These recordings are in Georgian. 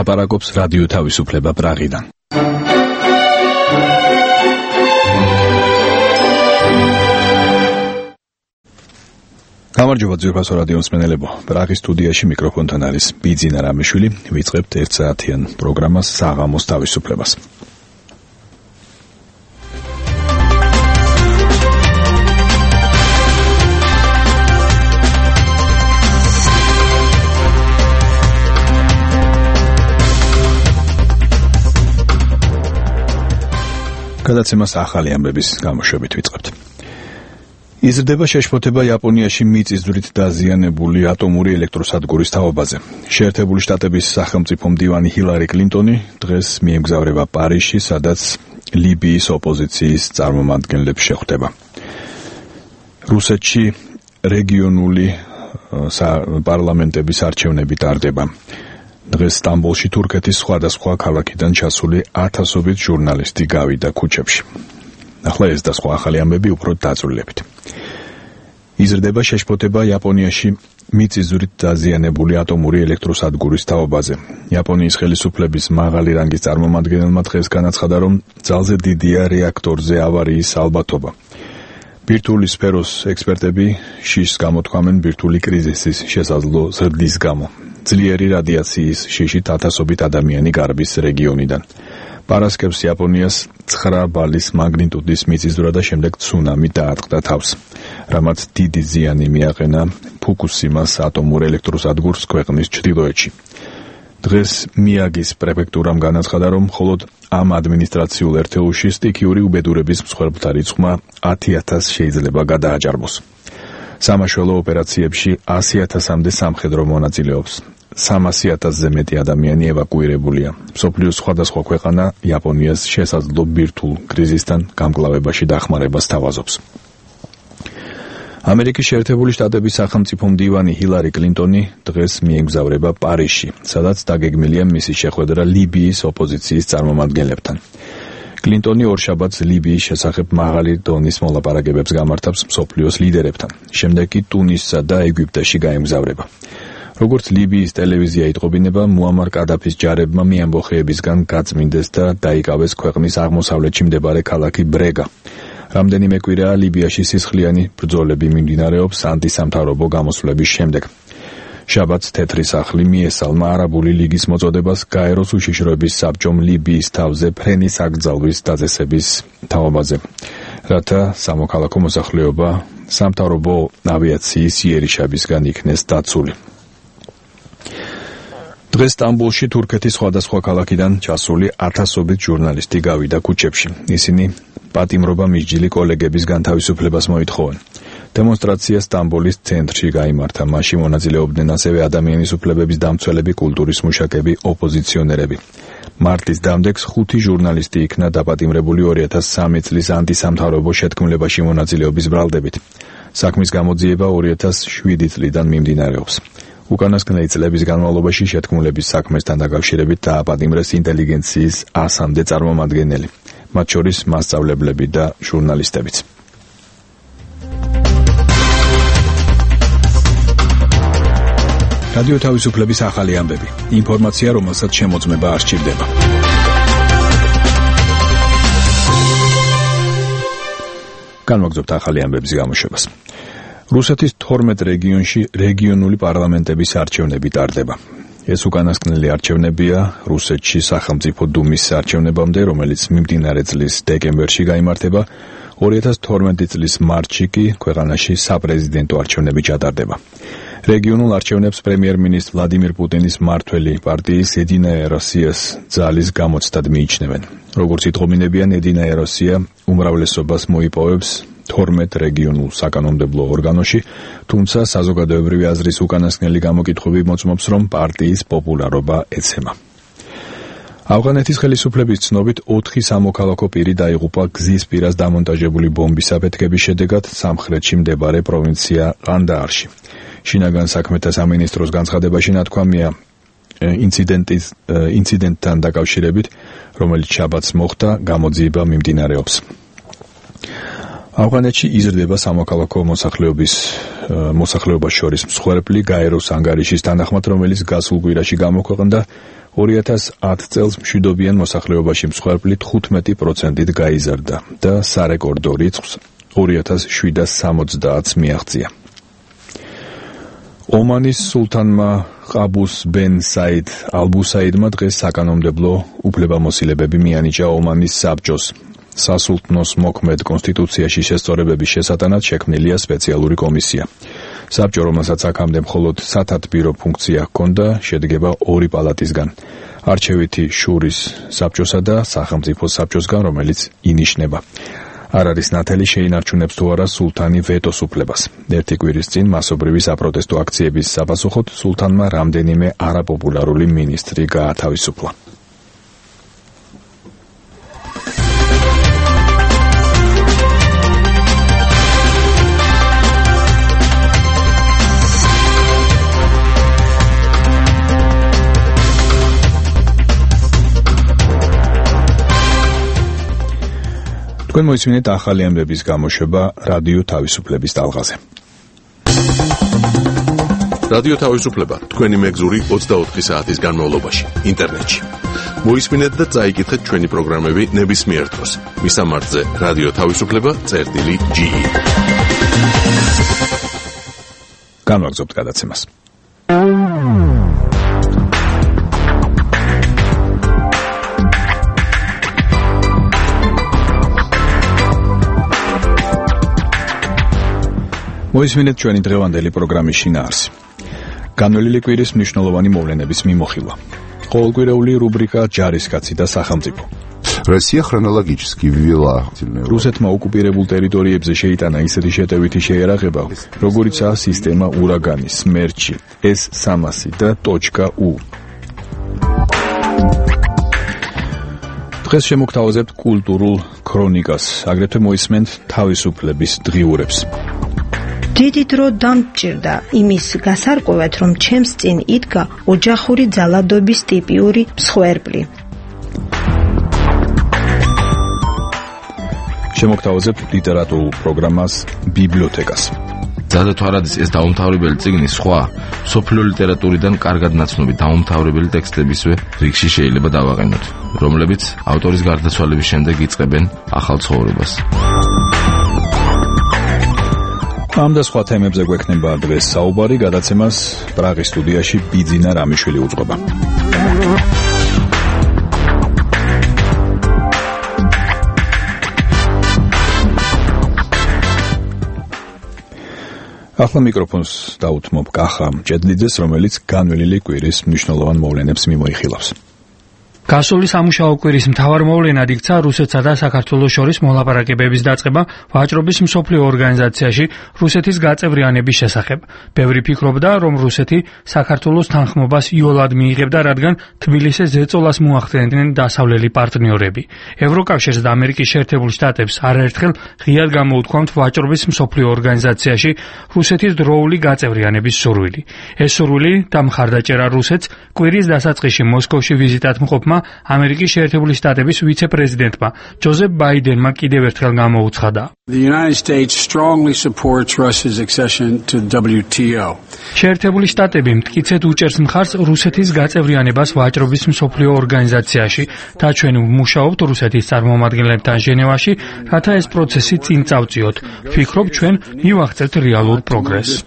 ლაპარაკობს რადიო თავისუფლება პრაღიდან. გამარჯობა ძვირფასო რადიო მსმენელებო. პრაღის სტუდიაში მიკროფონთან არის ბიძინა რამიშვილი. ვიწყებთ 1 საათიან პროგრამას საღამოს თავისუფლებას. გადაცემას ახალი ამბების გამოშვებით ვიწყებთ. იზრდება შეშფოთება იაპონიაში მიწისძვრით დაზიანებული ატომური ელექტროსადგურის თაობაზე. შეერთებული შტატების სახელმწიფო მდივანი ჰილარი კლინტონი დღეს მიემგზავრება პარიზში, სადაც ლიბიის ოპოზიციის წარმომადგენლებს შეხვდება. რუსეთში რეგიონული პარლამენტების არჩევნები ტარდება. დღეს სტამბოლში თურქეთის სხვადასხვა ქალაქიდან ჩასული ათასობით ჟურნალისტი გავიდა ქუჩებში. ახლა ეს და სხვა ახალი ამბები უფრო დაწვრილებით. იზრდება შეშფოთება იაპონიაში მიწისძვრით დაზიანებული ატომური ელექტროსადგურის თაობაზე. იაპონიის ხელისუფლების მაღალი რანგის წარმომადგენელმა დღეს განაცხადა, რომ ძალზე დიდია რეაქტორზე ავარიის ალბათობა. ბირთვული სფეროს ექსპერტები შიშს გამოთქვამენ ბირთვული კრიზისის შესაძლო ზრდის გამო. ძლიერი რადიაციის შიშით ათასობით ადამიანი გარბის რეგიონიდან. პარასკევს იაპონიას 9 ბალის მაგნიტუდის მიწისძვრა და შემდეგ ცუნამი დაატყდა თავს, რამაც დიდი ზიანი მიაყენა ფუკუსიმას ატომურ ელექტროსადგურს ქვეყნის ჩრდილოეთში. დღეს მიაგის პრეფექტურამ განაცხადა, რომ მხოლოდ ამ ადმინისტრაციულ ერთეულში სტიქიური უბედურების მსხვერპლთა რიცხვმა 10,000 შეიძლება გადააჭარბოს. სამაშველო ოპერაციებში 100,000-მდე სამხედრო მონაწილეობს. 300,000-ზე მეტი ადამიანი ევაკუირებულია. მსოფლიოს სხვადასხვა ქვეყანა იაპონიას შესაძლო ბირთვულ კრიზისთან გამკლავებაში დახმარებას თავაზობს. ამერიკის შეერთებული შტატების სახელმწიფო მდივანი ჰილარი კლინტონი დღეს მიემგზავრება პარიზში, სადაც დაგეგმილია მისი შეხვედრა ლიბიის ოპოზიციის წარმომადგენლებთან. კლინტონი ორშაბათს ლიბიის შესახებ მაღალი დონის მოლაპარაკებებს გამართავს მსოფლიოს ლიდერებთან. შემდეგ კი ტუნისსა და ეგვიპტეში გაემგზავრება. როგორც ლიბიის ტელევიზია იტყობინება, მუამარ კადაფის ჯარებმა მიამბოხეებისგან გაწმინდეს და დაიკავეს ქვეყნის აღმოსავლეთში მდებარე ქალაქი ბრეგა. რამდენიმე კვირაა ლიბიაში სისხლიანი ბრძოლები მიმდინარეობს ანტისამთავრობო გამოსვლების შემდეგ. შაბათს თეთრი სახლი მიესალმა არაბული ლიგის მოწოდებას გაეროს უშიშროების საბჭომ ლიბიის თავზე ფრენის აკრძალვის დაწესების თაობაზე, რათა სამოქალაქო მოსახლეობა სამთავრობო ავიაციის იერიშებისგან იქნეს დაცული. დღეს სტამბოლში თურქეთის სხვადასხვა ქალაქიდან ჩასული ათასობით ჟურნალისტი გავიდა ქუჩებში. ისინი პატიმრობა მისჯილი კოლეგების განთავისუფლებას მოითხოვენ. დემონსტრაცია სტამბოლის ცენტრში გაიმართა. მასში მონაწილეობდნენ ასევე ადამიანის უფლებების დამცველები, კულტურის მუშაკები, ოპოზიციონერები. მარტის დამდეგს 5 ჟურნალისტი იქნა დაპატიმრებული 2003 წლის ანტისამთავრობო შეთქმულებაში მონაწილეობის ბრალდებით. საქმის გამოძიება 2007 წლიდან მიმდინარეობს. უკანასკნელი წლების განმავლობაში შეთქმულების საქმესთან დაკავშირებით დააპატიმრეს ინტელიგენციის 100-მდე წარმომადგენელი, მათ შორის მასწავლებლები და ჟურნალისტებიც. რადიო თავისუფლების ახალი ამბები. ინფორმაცია, რომელსაც შემოწმება არ სჭირდება. განვაგრძობთ ახალი ამბების გამოშვებას. რუსეთის 12 რეგიონში რეგიონული პარლამენტების არჩევნები ტარდება. ეს უკანასკნელი არჩევნებია რუსეთში სახელმწიფო დუმის არჩევნებამდე, რომელიც მიმდინარე წლის დეკემბერში გაიმართება. 2012 წლის მარტში კი ქვეყანაში საპრეზიდენტო არჩევნები ჩატარდება. რეგიონულ არჩევნებს პრემიერ-მინისტრ ვლადიმირ პუტინის მმართველი პარტიის ედინაია როსიას ძალის გამოცდად მიიჩნევენ. როგორც იტყობინებიან, ედინაია როსია უმრავლესობას მოიპოვებს 12 რეგიონულ საკანონმდებლო ორგანოში, თუმცა საზოგადოებრივი აზრის უკანასკნელი გამოკითხვები მოწმობს, რომ პარტიის პოპულარობა ეცემა. ავღანეთის ხელისუფლების ცნობით 4 სამოქალაქო პირი დაიღუპა გზის პირას დამონტაჟებული ბომბის აფეთქების შედეგად სამხრეთში მდებარე პროვინცია ყანდაარში. შინაგან საქმეთა სამინისტროს განცხადებაში ნათქვამია ინციდენტთან დაკავშირებით, რომელიც შაბათს მოხდა, გამოძიება მიმდინარეობს. ავღანეთში იზრდება სამოქალაქო მოსახლეობას შორის მსხვერპლი გაეროს ანგარიშის თანახმად, რომელიც გასულ კვირაში გამოქვეყნდა 2010 წელს მშვიდობიან მოსახლეობაში მსხვერპლი 15%-ით გაიზარდა და სარეკორდო რიცხვს 2760-ს მიაღწია. ომანის სულთანმა ყაბუს ბენ საიდ ალბუსაიდმა დღეს საკანონმდებლო უფლებამოსილებები მიანიჭა ომანის საბჭოს. სასულთნოს მოქმედ კონსტიტუციაში შესწორებების შესატანად შექმნილია სპეციალური კომისია. საბჭო, რომელსაც აქამდე მხოლოდ სათათბირო ფუნქცია ჰქონდა, შედგება 2 პალატისგან. არჩევითი შურის საბჭოსა და სახელმწიფო საბჭოსგან, რომელიც ინიშნება. არ არის ნათელი შეინარჩუნებს თუ არა სულთანი ვეტოს უფლებას. 1 კვირის წინ მასობრივი საპროტესტო აქციების საპასუხოდ სულთანმა რამდენიმე არაპოპულარული მინისტრი გაათავისუფლა. თქვენ მოისმინეთ ახალი ამბების გამოშვება რადიო თავისუფლების ტალღაზე. რადიო თავისუფლება თქვენი მეგზური 24 საათის განმავლობაში ინტერნეტში. მოისმინეთ და წაიკითხეთ ჩვენი პროგრამები ნებისმიერ დროს. მისამართზე რადიო თავისუფლება.ge. განვაგრძობთ გადაცემას. მოისმინეთ ჩვენი დღევანდელი პროგრამის შინაარსი. განვლილი კვირის მნიშვნელოვანი მოვლენების მიმოხილვა. ყოველკვირეული რუბრიკა ჯარისკაცი და სახელმწიფო. Россия хронологически ввела. რუსეთმა ოკუპირებულ ტერიტორიებზე შეიტანა ისეთი შეტევითი შეერაღება, როგორიცაა სისტემა ურაგანი, სმერჩი, S-300 და .U. დღეს შემოგთავაზებთ კულტურულ ქრონიკას, აგრეთვე მოისმენთ თავისუფლების დღიურებს. დიდი დრო დამჭირდა იმის გასარკვევად, რომ ჩემს წინ იდგა ოჯახური ძალადობის ტიპიური მსხვერპლი. შემოგთავაზებთ ლიტერატურულ პროგრამას ბიბლიოთეკას. ზადა თვარადის ეს დაუმთავრებელი წიგნი სხვა სოფლიო ლიტერატურიდან კარგად ნაცნობი დაუმთავრებელი ტექსტებისვე რიგში შეიძლება დავაყენოთ, რომლებიც ავტორის გარდაცვალების შემდეგ იწყებენ ახალ ცხოვრებას. ამ და სხვა თემებზე გვექნება დღეს საუბარი, გადაცემას პრაღის სტუდიაში ბიძინა რამიშვილი უძღვება. ახლა მიკროფონს დაუთმობ კახა მჭედლიძეს, რომელიც განვლილი კვირის მნიშვნელოვან მოვლენებს მიმოიხილავს. გასული სამუშაო კვირის მთავარ მოვლენად იქცა რუსეთსა და საქართველოს შორის მოლაპარაკებების დაწყება ვაჭრობის მსოფლიო ორგანიზაციაში რუსეთის გაწევრიანების შესახებ. ბევრი ფიქრობდა, რომ რუსეთი საქართველოს თანხმობას იოლად მიიღებდა, რადგან თბილისის ზეწოლას მოახდენდნენ დასავლელი პარტნიორები. ევროკავშირს და ამერიკის შეერთებულ შტატებს არაერთხელ ღიად გამოუთქვამთ ვაჭრობის მსოფლიო ორგანიზაციაში რუსეთის დროული გაწევრიანების სურვილი. ეს სურვილი და მხარდაჭერა რუსეთს კვირის დასაწყისში მოსკოვში ვიზიტად მყოფმა ამერიკის შეერთებული შტატების ვიცე-პრეზიდენტმა ჯოზეფ ბაიდენმა კიდევ ერთხელ გამოუცხადა. The United States strongly supports Russia's accession to the WTO. შეერთებული შტატები მტკიცედ უჭერს მხარს რუსეთის გაწევრიანებას ვაჭრობის მსოფლიო ორგანიზაციაში და ჩვენ ვმუშაობთ რუსეთის წარმომადგენლებთან ჟენევაში, რათა ეს პროცესი წინ წავწიოთ. ვფიქრობ, ჩვენ მივაღწევთ რეალურ პროგრესს.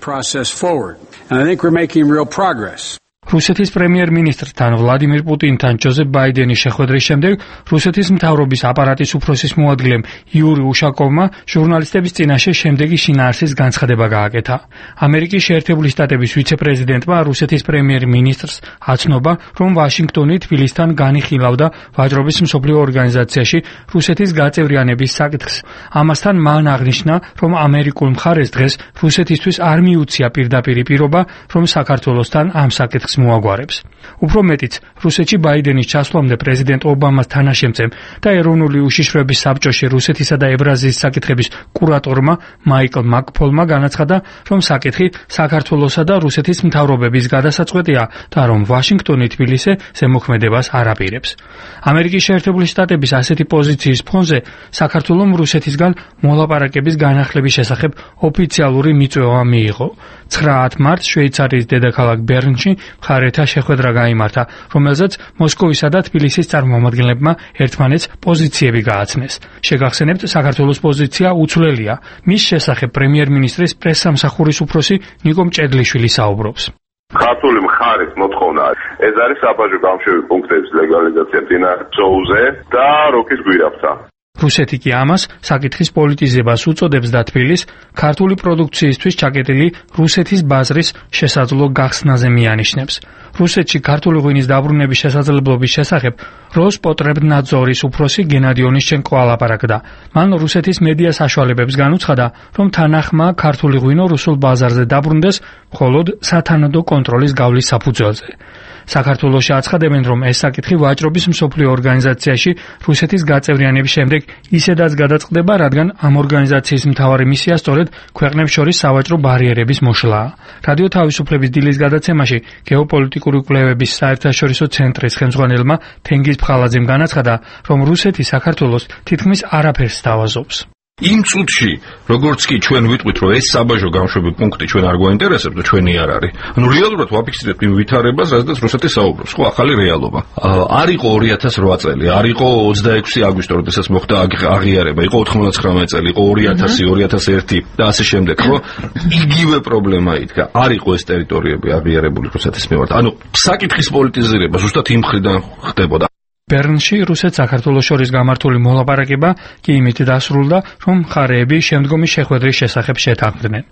And I think we're making real progress. რუსეთის პრემიერ-მინისტრთან ვლადიმირ პუტინთან ჯოზეფ ბაიდენის შეხვედრის შემდეგ რუსეთის მთავრობის აპარატის უფროსის მოადგილემ იური უშაკოვმა ჟურნალისტების წინაშე შემდეგი შინაარსის განცხადება გააკეთა. ამერიკის შეერთებული შტატების ვიცე-პრეზიდენტმა რუსეთის პრემიერ-მინისტრს აცნობა, რომ ვაშინგტონი თბილისთან განიხილავდა ვაჭრობის მსოფლიო ორგანიზაციაში რუსეთის გაწევრიანების საკითხს. ამასთან მან აღნიშნა, რომ ამერიკულ მხარეს დღეს რუსეთისთვის არ მიუცია პირდაპირი პირობა, რომ საქართველოსთან ამ საკითხს მოაგვარებს. უფრო მეტიც, რუსეთში ბაიდენის ჩასვლამდე პრეზიდენტ ობამას თანაშემწემ და ეროვნული უშიშროების საბჭოში რუსეთისა და ევრაზიის საკითხების კურატორმა მაიკლ მაკფოლმა განაცხადა, რომ საკითხი საქართველოსა და რუსეთის მთავრობების გადასაწყვეტია და რომ ვაშინგტონი თბილისზე ზემოქმედებას არ აპირებს. ამერიკის შეერთებული შტატების ასეთი პოზიციის ფონზე საქართველომ რუსეთისგან მოლაპარაკების განახლების შესახებ ოფიციალური მიწვევა მიიღო. 9 მარტს შვეიცარიის დედაქალაქ ბერნში მხარეთა შეხვედრა გაიმართა, რომელზეც მოსკოვისა და თბილისის წარმომადგენლებმა ერთმანეთს პოზიციები გააცნეს. შეგახსენებთ, საქართველოს პოზიცია უცვლელია. მის შესახებ პრემიერ-მინისტრის პრესსამსახურის უფროსი ნიკო მჭედლიშვილი საუბრობს. ქართული მხარის მოთხოვნა ეს არის საბაჟო გამშვები პუნქტების ლეგალიზაცია მდინარე ზოუზე და როქის გვირაბთან. რუსეთი კი ამას საკითხის პოლიტიზებას უწოდებს და თბილისს ქართული პროდუქციისთვის ჩაკეტილი რუსეთის ბაზრის შესაძლო გახსნაზე მიანიშნებს. რუსეთში ქართული ღვინის დაბრუნების შესაძლებლობის შესახებ როსპოტრებნაძორის უფროსი გენადი ონიშჩენკო ალაპარაკდა. მან რუსეთის მედია საშუალებებს განუცხადა, რომ თანახმაა ქართული ღვინო რუსულ ბაზარზე დაბრუნდეს მხოლოდ სათანადო კონტროლის გავლის საფუძველზე. საქართველოში აცხადებენ, რომ ეს საკითხი ვაჭრობის მსოფლიო ორგანიზაციაში რუსეთის გაწევრიანების შემდეგ ისედაც გადაწყდება, რადგან ამ ორგანიზაციის მთავარი მისია სწორედ ქვეყნებს შორის სავაჭრო ბარიერების მოშლაა. რადიო თავისუფლების დილის გადაცემაში გეოპოლიტიკური კვლევების საერთაშორისო ცენტრის ხელმძღვანელმა თენგიზ ფხალაძემ განაცხადა, რომ რუსეთი საქართველოს თითქმის არაფერს სთავაზობს. იმ წუთში, როგორც კი ჩვენ ვიტყვით, რომ ეს საბაჟო გამშვები პუნქტი ჩვენ არ გვაინტერესებს და ჩვენი არ არის. ანუ რეალურად ვაფიქსირებთ იმ ვითარებას, რაზეც რუსეთი საუბრობს. ხო, ახალი რეალობა. არ იყო 2008 წელი, არ იყო 26 აგვისტო, როდესაც მოხდა აღიარება, იყო 99 წელი, იყო 2000, 2001 და ასე შემდეგ, ხო? იგივე პრობლემა იდგა. არ იყო ეს ტერიტორიები აღიარებული რუსეთის მიმართ. ანუ საკითხის პოლიტიზირება ზუსტად იმ მხრიდან ხდებოდა. ბერნში რუსეთ-საქართველოს შორის გამართული მოლაპარაკება კი იმით დასრულდა, რომ მხარეები შემდგომი შეხვედრის შესახებ შეთანხმდნენ.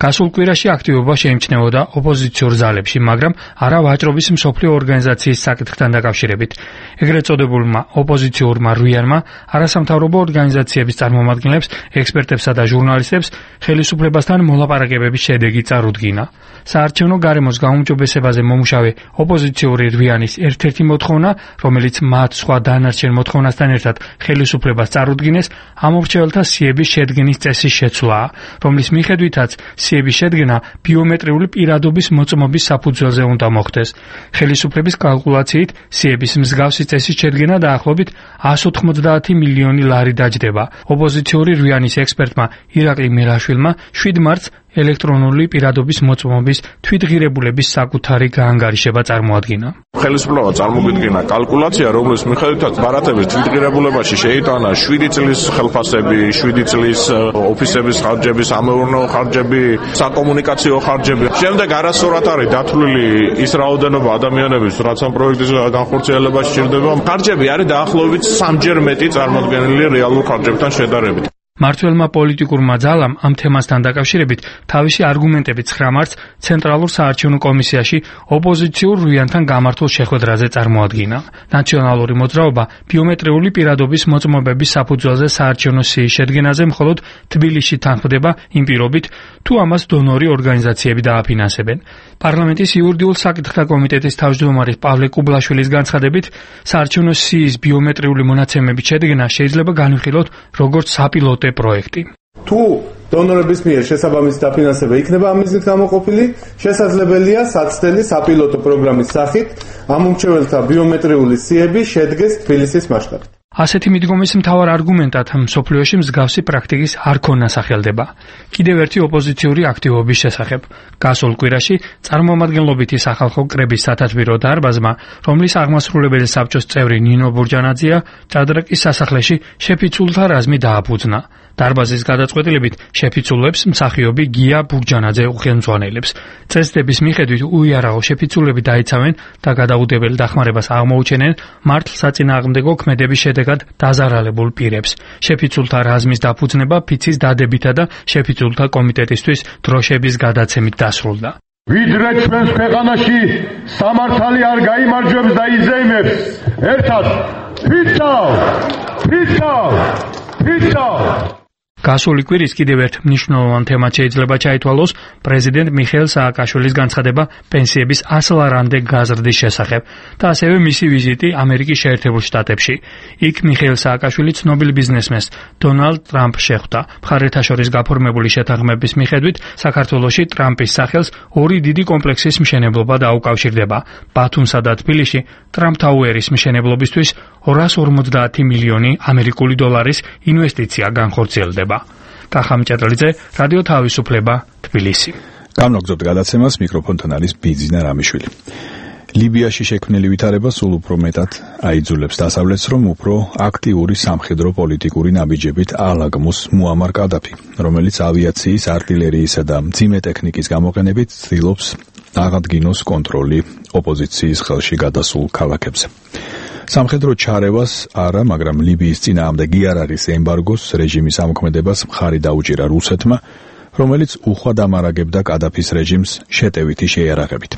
გასულ კვირაში აქტივობა შეიმჩნეოდა ოპოზიციურ ძალებში, მაგრამ არა ვაჭრობის მსოფლიო ორგანიზაციის საკითხთან დაკავშირებით. ეგრეთ წოდებულმა ოპოზიციურმა რუიანმა არასამთავრობო ორგანიზაციების წარმომადგენლებს, ექსპერტებსა და ჟურნალისტებს ხელისუფლებასთან მოლაპარაკებების შედეგი წარუდგინა. საარჩევნო გარემოს გაუმჯობესებაზე მომუშავე ოპოზიციური რუიანის ერთ-ერთი მოთხოვნა, რომელიც მათ სხვა დანარჩენ მოთხოვნასთან ერთად ხელისუფლებას წარუდგინეს, ამორჩეველთა სიების შედგენის წესის შეცვლაა, რომლის მიხედვითაც სიების შედგენა ბიომეტრიული პირადობის მოწმობის საფუძველზე უნდა მოხდეს. ხელისუფლების კალკულაციით სიების მსგავსი წესის შედგენა დაახლოებით 190 მილიონი ლარი დაჯდება. ოპოზიციური რუიანის ექსპერტმა ირაკლი მელაშვილმა 7 მარტს ელექტრონული პირადობის მოწმობის თვითღირებულების საკუთარი გაანგარიშება წარმოადგინა. ხელისუფლება წარმოგიდგინა კალკულაცია, რომლის მიხედვითაც ბარათების თვითღირებულებაში შეიტანა 7 წლის ხელფასები, 7 წლის ოფისების ხარჯები, სამეურნეო ხარჯები, საკომუნიკაციო ხარჯები. შემდეგ არასწორად არის დათვლილი ის რაოდენობა ადამიანების, რაც ამ პროექტის განხორციელებაში სჭირდება. ხარჯები არის დაახლოებით 3-ჯერ მეტი წარმოდგენილი რეალურ ხარჯებთან შედარებით. მმართველმა პოლიტიკურმა ძალამ ამ თემასთან დაკავშირებით თავისი არგუმენტები 9 მარტს ცენტრალურ საარჩევნო კომისიაში ოპოზიციურ რუიანთან გამართულ შეხვედრაზე წარმოადგინა. ნაციონალური მოძრაობა ბიომეტრიული პირადობის მოწმობების საფუძველზე საარჩევნო სიის შედგენაზე მხოლოდ თბილისში თანხმდება იმ პირობით, თუ ამას დონორი ორგანიზაციები დააფინანსებენ. პარლამენტის იურიდიულ საკითხთა კომიტეტის თავმჯდომარის პავლე კუბლაშვილის განცხადებით, საარჩევნო სიის ბიომეტრიული მონაცემების შედგენა შეიძლება განვიხილოთ როგორც საპილოტო პროექტი. თუ დონორების მიერ შესაბამისი დაფინანსება იქნება ამ მიზნით გამოყოფილი, შესაძლებელია საცდელი საპილოტო პროგრამის სახით ამომრჩეველთა ბიომეტრიული სიები შედგეს თბილისის მასშტაბით. ასეთი მიდგომის მთავარ არგუმენტად მსოფლიოში მსგავსი პრაქტიკის არ ქონა სახელდება. კიდევ ერთი ოპოზიციური აქტივობის შესახებ. გასულ კვირაში წარმომადგენლობითი სახალხო კრების სათათბირო დარბაზმა, რომლის აღმასრულებელი საბჭოს წევრი ნინო ბურჯანაძეა, ჭადრაკის სასახლეში შეფიცულთა რაზმი დააფუძნა. დარბაზის გადაწყვეტილებით შეფიცულებს მსახიობი გია ბურჯანაძე უხელმძღვანელებს. წესდების მიხედვით უიარაღო შეფიცულები დაიცავენ და გადაუდებელ დახმარებას აღმოუჩენენ მართლსაწინააღმდეგო ქმედების შედეგად დაზარალებულ პირებს. შეფიცულთა რაზმის დაფუძნება ფიცის დადებითა და შეფიცულთა კომიტეტისთვის დროშების გადაცემით დასრულდა. ვიდრე ჩვენს ქვეყანაში სამართალი არ გაიმარჯვებს და იზეიმებს, ერთად ფიცავ! გასული კვირის კიდევ ერთ მნიშვნელოვან თემად შეიძლება ჩაითვალოს პრეზიდენტ მიხეილ სააკაშვილის განცხადება პენსიების 100 ლარამდე გაზრდის შესახებ და ასევე მისი ვიზიტი ამერიკის შეერთებულ შტატებში. იქ მიხეილ სააკაშვილი ცნობილ ბიზნესმენს დონალდ ტრამპს შეხვდა. მხარეთა შორის გაფორმებული შეთანხმების მიხედვით საქართველოში ტრამპის სახელს ორი დიდი კომპლექსის მშენებლობა დაუკავშირდება. ბათუმსა და თბილისში ტრამპ ტაუერის მშენებლობისთვის 250 მილიონი ამერიკული დოლარის ინვესტიცია განხორციელდება. კახა მჭედლიძე, რადიო თავისუფლება, თბილისი. გამოგზავნოთ გადაცემას, მიკროფონთან არის ბიძინა რამიშვილი. ლიბიაში შექმნილი ვითარება სულ უფრო მეტად აიძულებს დასავლეთს, რომ უფრო აქტიური სამხედრო პოლიტიკური ნაბიჯებით აალაგმოს მუამარ კადაფი, რომელიც ავიაციის, артиლერიისა და მძიმე ტექნიკის გამოყენებით ცდილობს აღადგინოს კონტროლი ოპოზიციის ხელში გადასულ ქალაქებზე. სამხედრო ჩარევას არა, მაგრამ ლიბიის წინააღმდეგ არ არის ემბარგოს რეჟიმის ამოქმედებას მხარი დაუჭირა რუსეთმა, რომელიც უხვად ამარაგებდა კადაფის რეჟიმს შეტევითი შეიარაღებით.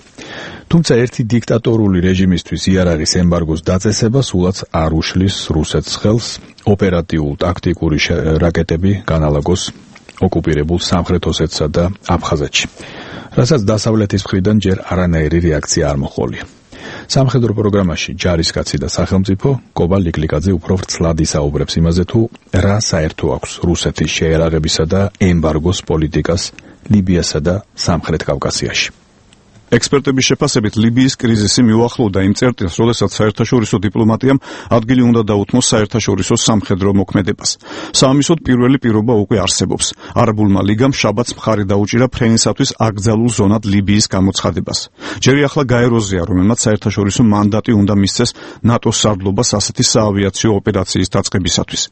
თუმცა ერთი დიქტატორული რეჟიმისთვის იარაღის ემბარგოს დაწესება სულაც არ უშლის რუსეთს ხელს ოპერატიულ-ტაქტიკური რაკეტები განალაგოს ოკუპირებულ სამხრეთ ოსეთსა და აფხაზეთში, რასაც დასავლეთის მხრიდან ჯერ არანაირი რეაქცია არ მოჰყოლია. სამხედრო პროგრამაში ჯარისკაცი და სახელმწიფო კობა ლიკლიკაძე უფრო ვრცლად ისაუბრებს იმაზე, თუ რა საერთო აქვს რუსეთის შეიარაღებისა და ემბარგოს პოლიტიკას ლიბიასა და სამხრეთ კავკასიაში. ექსპერტების შეფასებით ლიბიის კრიზისი მიუახლოვდა იმ წერტილს, როდესაც საერთაშორისო დიპლომატიამ ადგილი უნდა დაუთმოს საერთაშორისო სამხედრო მოქმედებას. საამისოდ პირველი პირობა უკვე არსებობს. არაბულმა ლიგამ შაბათს მხარი დაუჭირა ფრენისათვის აკრძალულ ზონად ლიბიის გამოცხადებას. ჯერი ახლა გაეროზია, რომელმაც საერთაშორისო მანდატი უნდა მისცეს ნატოს სარდლობას ასეთი საავიაციო ოპერაციის დაწყებისათვის.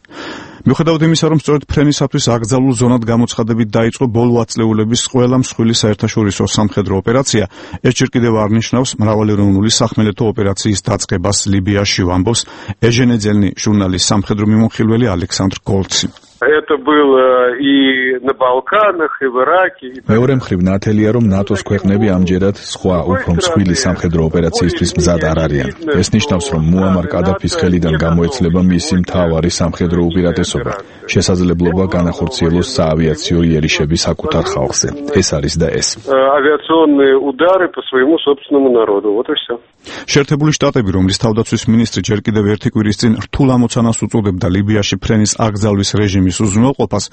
მიუხედავად იმისა, რომ სწორედ ფრენისათვის აკრძალულ ზონად გამოცხადებით დაიწყო ბოლო ათწლეულების ყველა მსხვილი საერთაშორისო სამხედრო ოპერაცია, ეს ჯერ კიდევ არ ნიშნავს მრავალეროვნული სახმელეთო ოპერაციის დაწყებას ლიბიაში, ამბობს ეჟენეძელნი ჟურნალის სამხედრო მიმოხილველი ალექსანდრ გოლცი. Это было и на Балканах, и в Ираке. მეორე მხრივ ნათელია, რომ ნატოს ქვეყნები ამჯერად სხვა უფრო მსხვილი სამხედრო ოპერაციისთვის მზად არ არიან. ეს ნიშნავს, რომ მუამარ კადაფის ხელიდან გამოეცლება მისი მთავარი სამხედრო უპირატესობა, შესაძლებლობა განახორციელოს საავიაციო იერიშები საკუთარ ხალხზე. ეს არის და ეს. Авиационные удары по своему собственному народу. Вот и всё. შეერთებული შტატები, რომლის თავდაცვის მინისტრი ჯერ კიდევ ერთი კვირის წინ რთულ ამოცანას უწოდებდა ლიბიაში ფრენის აკრძალვის რეჟიმის უზრუნველყოფას,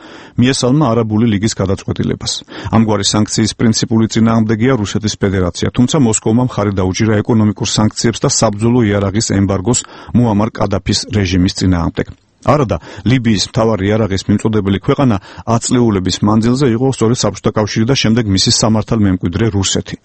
მიესალმა არაბული ლიგის გადაწყვეტილებას. ამგვარი სანქციის პრინციპული წინააღმდეგია რუსეთის ფედერაცია, თუმცა მოსკოვმა მხარი დაუჭირა ეკონომიკურ სანქციებს და საბრძოლო იარაღის ემბარგოს მუამარ კადაფის რეჟიმის წინააღმდეგ. არადა ლიბიის მთავარი იარაღის მიმწოდებელი ქვეყანა ათწლეულების მანძილზე იყო სწორედ საბჭოთა კავშირი და შემდეგ მისი სამართალ მემკვიდრე რუსეთი.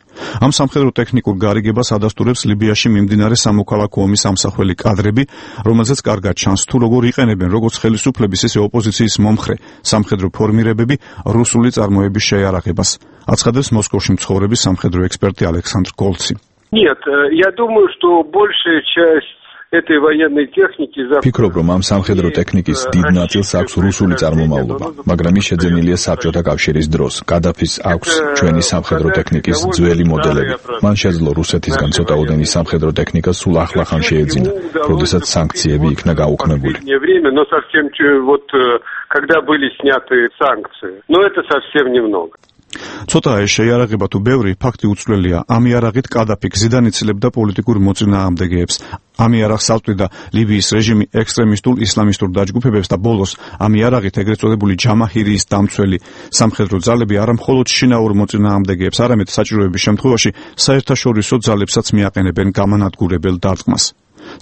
ამ სამხედრო ტექნიკურ გარიგებას ადასტურებს ლიბიაში მიმდინარე სამოქალაქო ომის ამსახველი კადრები, რომელზეც კარგად ჩანს, თუ როგორ იყენებენ როგორც ხელისუფლების, ისე ოპოზიციის მომხრე სამხედრო ფორმირებები რუსული წარმოების შეიარაღებას. აცხადებს მოსკოვში მცხოვრები სამხედრო ექსპერტი ალექსანდრ გოლცი. Нет, я думаю, что большая часть этой военной техники ფიქრობ, რომ ამ სამხედრო ტექნიკის დიდ ნაწილს აქვს რუსული წარმომავლობა, მაგრამ ის შეძენილია საბჭოთა კავშირის დროს. კადაფის აქვს ჩვენი სამხედრო ტექნიკის ძველი მოდელები. მან შეძლო რუსეთისგან ცოტაოდენი სამხედრო ტექნიკა სულ ახლახან შეეძინა, როდესაც სანქციები იქნა გაუქმებული. Но совсем вот когда были сняты санкции. Но это совсем немного. ცოტა ეს შეიარაღება თუ ბევრი, ფაქტი უცვლელია. ამ იარაღით კადაფი გზიდან იცლებდა პოლიტიკურ მოწინააღმდეგეებს. ამ იარაღს აწვდიდა ლიბიის რეჟიმი ექსტრემისტულ ისლამისტურ დაჯგუფებებს და ბოლოს ამ იარაღით ეგრეთ წოდებული ჯამაჰირიის დამცველი სამხედრო ძალები არა მხოლოდ შინაურ მოწინააღმდეგეებს, არამედ საჭიროების შემთხვევაში საერთაშორისო ძალებსაც მიაყენებენ გამანადგურებელ დარტყმას.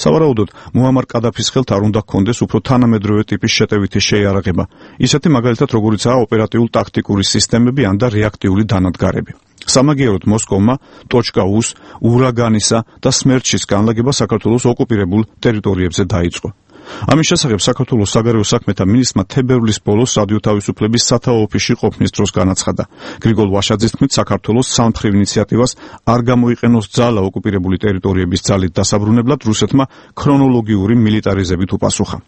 სავარაუდოდ მუამარ კადაფის ხელთ არ უნდა ჰქონდეს უფრო თანამედროვე ტიპის შეტევითი შეიარაღება, ისეთი მაგალითად როგორიცაა ოპერატიულ-ტაქტიკური სისტემები ან და რეაქტიული დანადგარები. სამაგიეროდ მოსკოვმა .U-ს, ურაგანისა და სმერჩის განლაგება საქართველოს ოკუპირებულ ტერიტორიებზე დაიწყო. ამის შესახებ საქართველოს საგარეო საქმეთა მინისტრმა თებერვლის ბოლოს სადიო თავისუფლების სათაო ოფისში ყოფნის დროს განაცხადა. გრიგოლ ვაშაძის თქმით, საქართველოს სამმხრივ ინიციატივას არ გამოიყენოს ძალა ოკუპირებული ტერიტორიების ძალით დასაბრუნებლად, რუსეთმა ქრონოლოგიური მილიტარიზებით უპასუხა.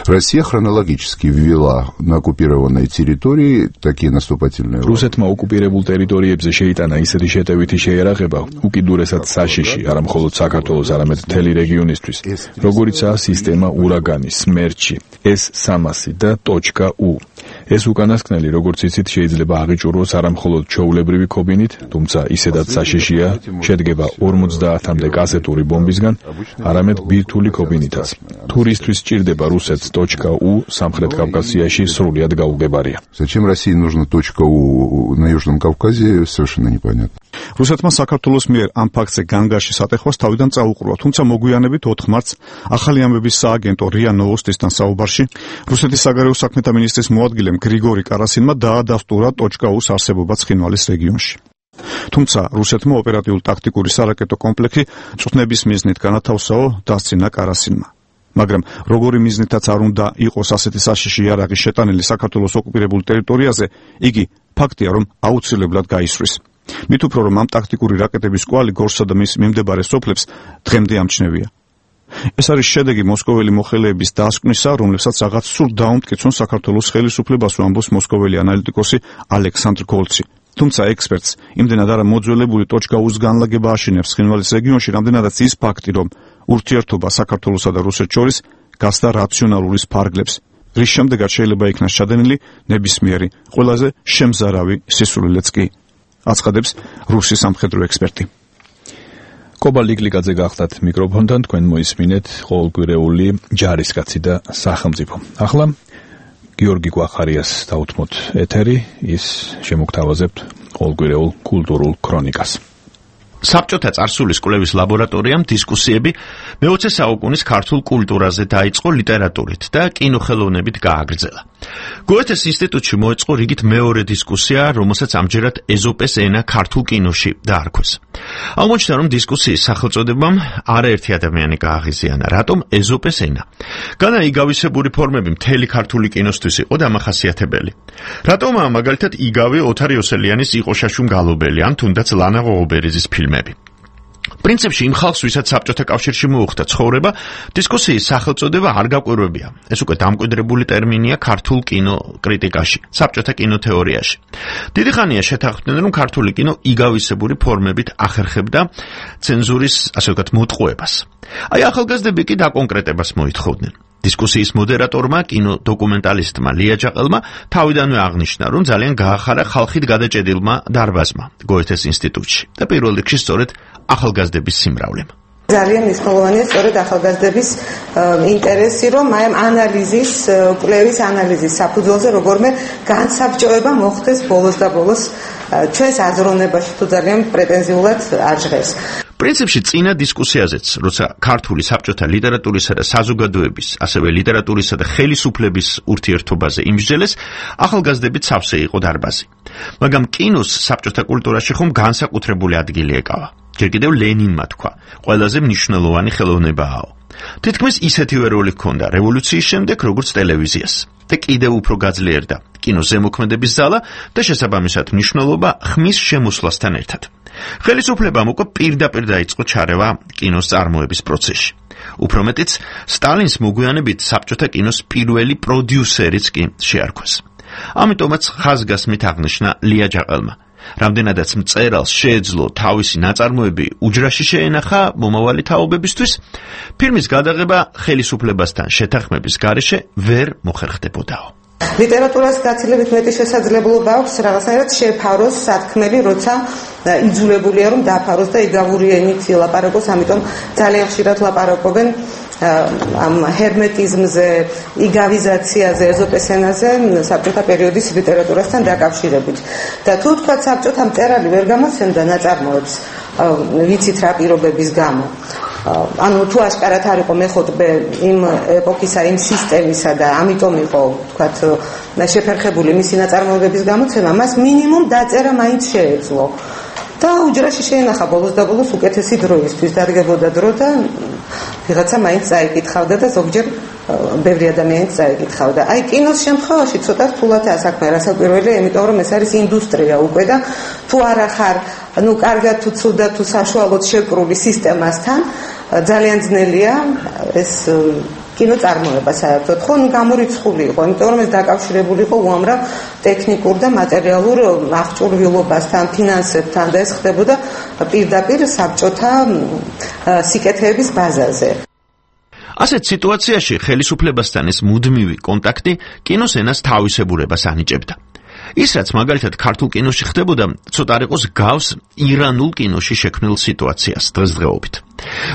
Россия хронологически ввела на оккупированной территории такие наступательные войны. რუსეთმა ოკუპირებულ ტერიტორიებზე შეიტანა ისეთი შეტევითი შეიარაღება, უკიდურესად საშიში, არა მხოლოდ საქართველოს, არამედ მთელი რეგიონისთვის, როგორიცაა სისტემა ურაგანი, სმერჩი, S-300 და .U. ეს უკანასკნელი, როგორც იცით, შეიძლება აღიჭურვოს არა მხოლოდ ჩვეულებრივი ქობინით, თუმცა ისედაც საშიშია, შედგება 50-მდე კასეტური ბომბისგან, არამედ ბირთვული ქობინითაც. თურისთვის სჭირდება რუსეთს .U სამხრეთ კავკასიაში სრულად გაუგებარია. Зачем России нужно .U на Южном Кавказе, совершенно непонятно. რუსეთმა საქართველოს მიერ ამ ფაქტზე განგარში სატეხვას თავიდან წაუყრუა, თუმცა მოგვიანებით 4 მარტს ახალი ამბების სააგენტო RIA Novostisთან საუბარში რუსეთის საგარეო საქმეთა მინისტრის მოადგილემ გრიგორი კარასინმა დაადასტურა .U-ს არსებობა ცხინვალის რეგიონში. თუმცა რუსეთმა ოპერატიულ-ტაქტიკური სარაკეტო კომპლექსი წვნების მიზნით განათავსაო დასცინა კარასინმა. მაგრამ როგორი მიზნითაც არ უნდა იყოს ასეთი საშიში იარაღი შეტანილი საქართველოს ოკუპირებულ ტერიტორიაზე, იგი ფაქტია, რომ აუცილებლად გაისვრის. მით უფრო რომ ამ ტაქტიკური რაკეტების კვალი გორსა და მის მიმდებარე სოფლებს დღემდე ამჩნევია. ეს არის შედეგი მოსკოველი მოხელეების დასკვნისა, რომლებსაც რაღაც სრულ დაუმტკიცონ საქართველოს ხელისუფლებას, ამბობს მოსკოველი ანალიტიკოსი ალექსანდრ გოლცი. თუმცა ექსპერტს იმდენად არა მოძველებული ტოჩკაუს განლაგება აშინებს ცხინვალის რეგიონში, რამდენადაც ის ფაქტი, რომ ურთიერთობა საქართველოსა და რუსეთს შორის გასდა რაციონალურის ფარგლებს, რის შემდეგაც შეიძლება იქნას ჩადენილი ნებისმიერი ყველაზე შემზარავი სისულელეც კი, აცხადებს რუსი სამხედრო ექსპერტი. კობა ლიკლიკაძე გახდათ მიკროფონთან, თქვენ მოისმინეთ ყოველკვირეული ჯარისკაცი და სახელმწიფო. ახლა გიორგი გვახარიას დაუთმოთ ეთერი, ის შემოგთავაზებთ ყოველკვირეულ კულტურულ ქრონიკას. საბჭოთა წარსულის კვლევის ლაბორატორიამ დისკუსიები მე-20 საუკუნის ქართულ კულტურაზე დაიწყო ლიტერატურით და კინოხელოვნებით გააგრძელა. გოეთეს ინსტიტუტში მოეწყო რიგით მეორე დისკუსია, რომელსაც ამჯერად ეზოპეს ენა ქართულ კინოში დაარქვეს. აღმოჩნდა, რომ დისკუსიის სახელწოდებამ არაერთი ადამიანი გააღიზიანა, რატომ ეზოპეს ენა. განა იგავისებური ფორმები მთელი ქართული კინოსთვის იყო დამახასიათებელი. რატომაა მაგალითად იგავი ოთარ იოსელიანის იყოშაშუმ გალობელი ან თუნდაც ლანა ღოღობერიძის ფილმი. პრინციპში იმ ხალხს, ვისაც საბჭოთა კავშირში მოუხდა ცხოვრება, დისკუსიის სახელწოდება არ გაკვირვებია. ეს უკვე დამკვიდრებული ტერმინია ქართულ კინო კრიტიკაში, საბჭოთა კინოთეორიაში. დიდი ხანია შეთანხმდნენ, რომ ქართული კინო იგავისებური ფორმებით ახერხებდა ცენზურის, ასე ვთქვათ, მოტყუებას. აი ახალგაზრდები კი დაკონკრეტებას მოითხოვდნენ. დისკუსიის მოდერატორმა, კინოდოკუმენტალისტმა ლია ჯაყელმა თავიდანვე აღნიშნა, რომ ძალიან გაახარა ხალხით გადაჭედილმა დარბაზმა გოეთეს ინსტიტუტში და პირველ რიგში სწორედ ახალგაზრდების სიმრავლემ. ძალიან მნიშვნელოვანია სწორედ ახალგაზრდების ინტერესი, რომ აი ამ ანალიზის, კვლევის ანალიზის საფუძველზე როგორმე განსაბჭოება მოხდეს ბოლოს და ბოლოს ჩვენს აზროვნებაში თუ ძალიან პრეტენზიულად არ ჟღერს. პრინციპში წინა დისკუსიაზეც, როცა ქართული საბჭოთა ლიტერატურისა და საზოგადოების, ასევე ლიტერატურისა და ხელისუფლების ურთიერთობაზე იმსჯელეს, ახალგაზრდებით სავსე იყო დარბაზი. მაგრამ კინოს საბჭოთა კულტურაში ხომ განსაკუთრებული ადგილი ეკავა. ჯერ კიდევ ლენინმა თქვა, ყველაზე მნიშვნელოვანი ხელოვნებაა. თითქმის ისეთივე როლი ჰქონდა რევოლუციის შემდეგ, როგორც ტელევიზიას. და კიდევ უფრო გაძლიერდა კინოს ზემოქმედების ზალა და შესაბამისად მნიშვნელობა ხმის შემოსვლასთან ერთად. ხელისუფლებამ უკვე პირდაპირ დაიწყო ჩარევა კინოს წარმოების პროცესში. უფრო მეტიც, სტალინს მოგვიანებით საბჭოთა კინოს პირველი პროდიუსერიც კი შეარქვეს. ამიტომაც ხაზგასმით აღნიშნა ლია ჯაყელმა. რამდენადაც მწერალს შეეძლო თავისი ნაწარმოები უჯრაში შეენახა მომავალი თაობებისთვის, ფილმის გადაღება ხელისუფლებასთან შეთანხმების გარეშე ვერ მოხერხდებოდაო. ლიტერატურას გაცილებით მეტი შესაძლებლობა აქვს რაღაცნაირად შეფაროს სათქმელი, როცა იძულებულია რომ დაფაროს და იგავური ენით ლაპარაკოს, ამიტომ ძალიან ხშირად ლაპარაკობენ ამ ჰერმეტიზმზე, იგავიზაციაზე, ეზოპეს ენაზე საბჭოთა პერიოდის ლიტერატურასთან დაკავშირებით. და თუ თქვა საბჭოთა მწერალი ვერ გამოსცემდა ნაწარმოებს, ვიცით რა პირობების გამო. ანუ თუ აშკარად არ იყო მეხოთბე იმ ეპოქისა, იმ სისტემისა და ამიტომ იყო, თქვათ, შეფერხებული მისი ნაწარმოებების გამოცემა, მას მინიმუმ დაწერა მაინც შეეძლო. და უჯრაში შეენახა ბოლოს და ბოლოს უკეთესი დროისთვის, დადგებოდა დრო და ვიღაცა მაინც წაიკითხავდა და ზოგჯერ ბევრი ადამიანი წაიკითხავდა. აი კინოს შემთხვევაში ცოტა რთულადაა საქმე, რასაკვირველია, იმიტომ რომ ეს არის ინდუსტრია უკვე და თუ არა ხარ, კარგად თუ ცუდად თუ საშუალოდ შეკრული სისტემასთან, ძალიან ძნელია ეს კინო წარმოება საერთოდ, ხო, გამორიცხული იყო, იმიტომ რომ ეს დაკავშირებული იყო უამრავ ტექნიკურ და მატერიალურ აღჭურვილობასთან, ფინანსებთან და ეს ხდებოდა პირდაპირ საბჭოთა სიკეთეების ბაზაზე. ასეთ სიტუაციაში ხელისუფლებასთან ეს მუდმივი კონტაქტი კინოს ენას თავისებურებას ანიჭებდა. ის რაც მაგალითად ქართულ კინოში ხდებოდა, ცოტა არ იყოს გავს ირანულ კინოში შექმნილ სიტუაციას დღესდღეობით.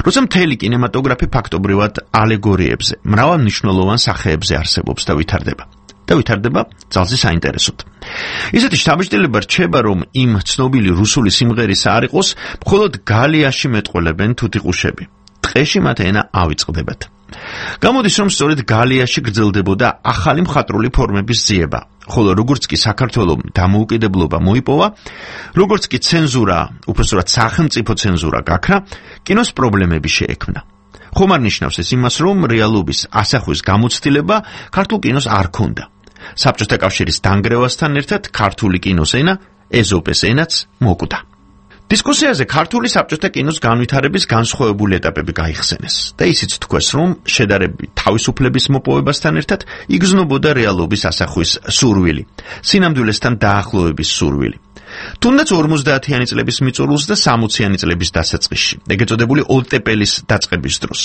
როცა მთელი კინემატოგრაფი ფაქტობრივად ალეგორიებზე, მრავალმნიშვნელოვან სახეებზე არსებობს და ვითარდება ძალზე საინტერესოდ. ისეთი შთაბეჭდილება რჩება, რომ იმ ცნობილი რუსული სიმღერის არ იყოს, მხოლოდ გალიაში მეტყოლებენ თუთიყუშები. ტყეში მათ ენა ავიწყდებათ. გამოდის, რომ სწორედ გალიაში გრძელდებოდა ახალი მხატვრული ფორმების ძიება, ხოლო როგორც კი საქართველოს დამოუკიდებლობა მოიპოვა, როგორც კი ცენზურა, უпростоრად სახელმწიფო ცენზურა გაქრა, კინოს პრობლემები შეექმნა. ხომ არ ნიშნავს ეს იმას, რომ რეალობის ასახვის გამოცდილება ქართულ კინოს არ ქონდა. საბჭოთა კავშირის დანგრევასთან ერთად ქართული კინოს ენა, ეზოპეს ენაც მოკვდა. დისკუსიაზე ქართული საბჭოთა კინოს განვითარების განსხვავებული ეტაპები გაიხსენეს და ისიც თქვეს, რომ შედარებით თავისუფლების მოპოვებასთან ერთად იგრძნობოდა რეალობის ასახვის სურვილი, სინამდვილესთან დაახლოების სურვილი. თუნდაც 50-იანი წლების მიწურულს და 60-იანი წლების დასაწყისში, ეგრეთ წოდებული ოლტეპელის დაწყების დროს,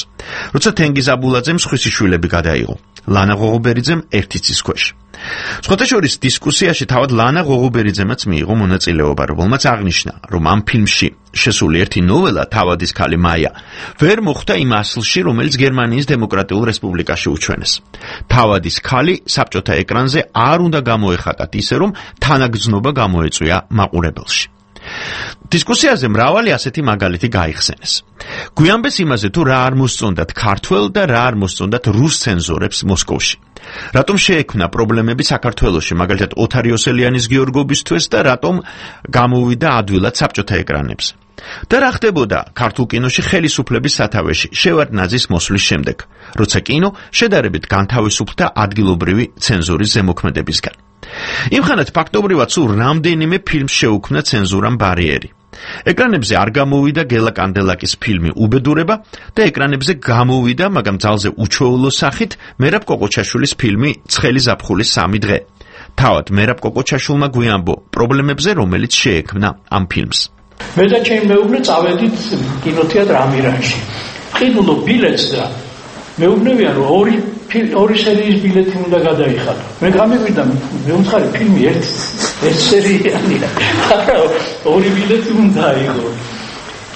როცა თენგიზ აბულაძემ სხვისი შვილები გადაიღო, ლანა ღოღობერიძემ ერთი ცის ქვეშ. სხვათა შორის დისკუსიაში თავად ლანა ღოღობერიძემაც მიიღო მონაწილეობა, რომელმაც აღნიშნა, რომ ამ ფილმში შესული ერთი ნოველა თავადის ქალი მაია ვერ მოხვდა იმ ასლში, რომელიც გერმანიის დემოკრატიულ რესპუბლიკაში უჩვენეს. თავადის ქალი საბჭოთა ეკრანზე არ უნდა გამოეხატათ ისე, რომ თანაგრძნობა გამოეწვია მაყურებელში. დისკუსიაზე მრავალი ასეთი მაგალითი გაიხსენეს. გვიანბეს იმაზე, თუ რა არ მოსწონდათ ქართველ და რა არ მოსწონდათ რუს ცენზორებს მოსკოვში. რატომ შეექმნა პრობლემები საქართველოში, მაგალითად ოთარ იოსელიანის გიორგობისთვის და რატომ გამოვიდა ადვილად საბჭოთა ეკრანებზე. და რა ხდებოდა ქართულ კინოში ხელისუფლების სათავეში შევარდნაძის მოსვლის შემდეგ, როცა კინო შედარებით განთავისუფლდა ადგილობრივი ცენზურის ზემოქმედებისგან. იმხანად ფაქტობრივად სულ რამდენიმე ფილმს შეუქმნა ცენზურამ ბარიერი. ეკრანებზე არ გამოვიდა გელა კანდელაკის ფილმი უბედურება და ეკრანებზე გამოვიდა, მაგრამ ძალზე უჩვეულო სახით მერაბ კოკოჩაშვილის ფილმი ცხელი ზაფხულის 3 დღე. თავად მერაბ კოკოჩაშვილმა გვიანბო პრობლემებზე, რომელიც შეექმნა ამ ფილმს. მე და ჩემი მეუღლე წავედით კინოთეატრ ამირანში. ყიდულობ ბილეთს და მეუბნებიან, რომ ორი სერიის ბილეთი უნდა გადაიხადო. მე გამიგვიდა, მე უცხარი ფილმი ერთ სერიალია. არა, ორი ბილეთი უნდა აიღო.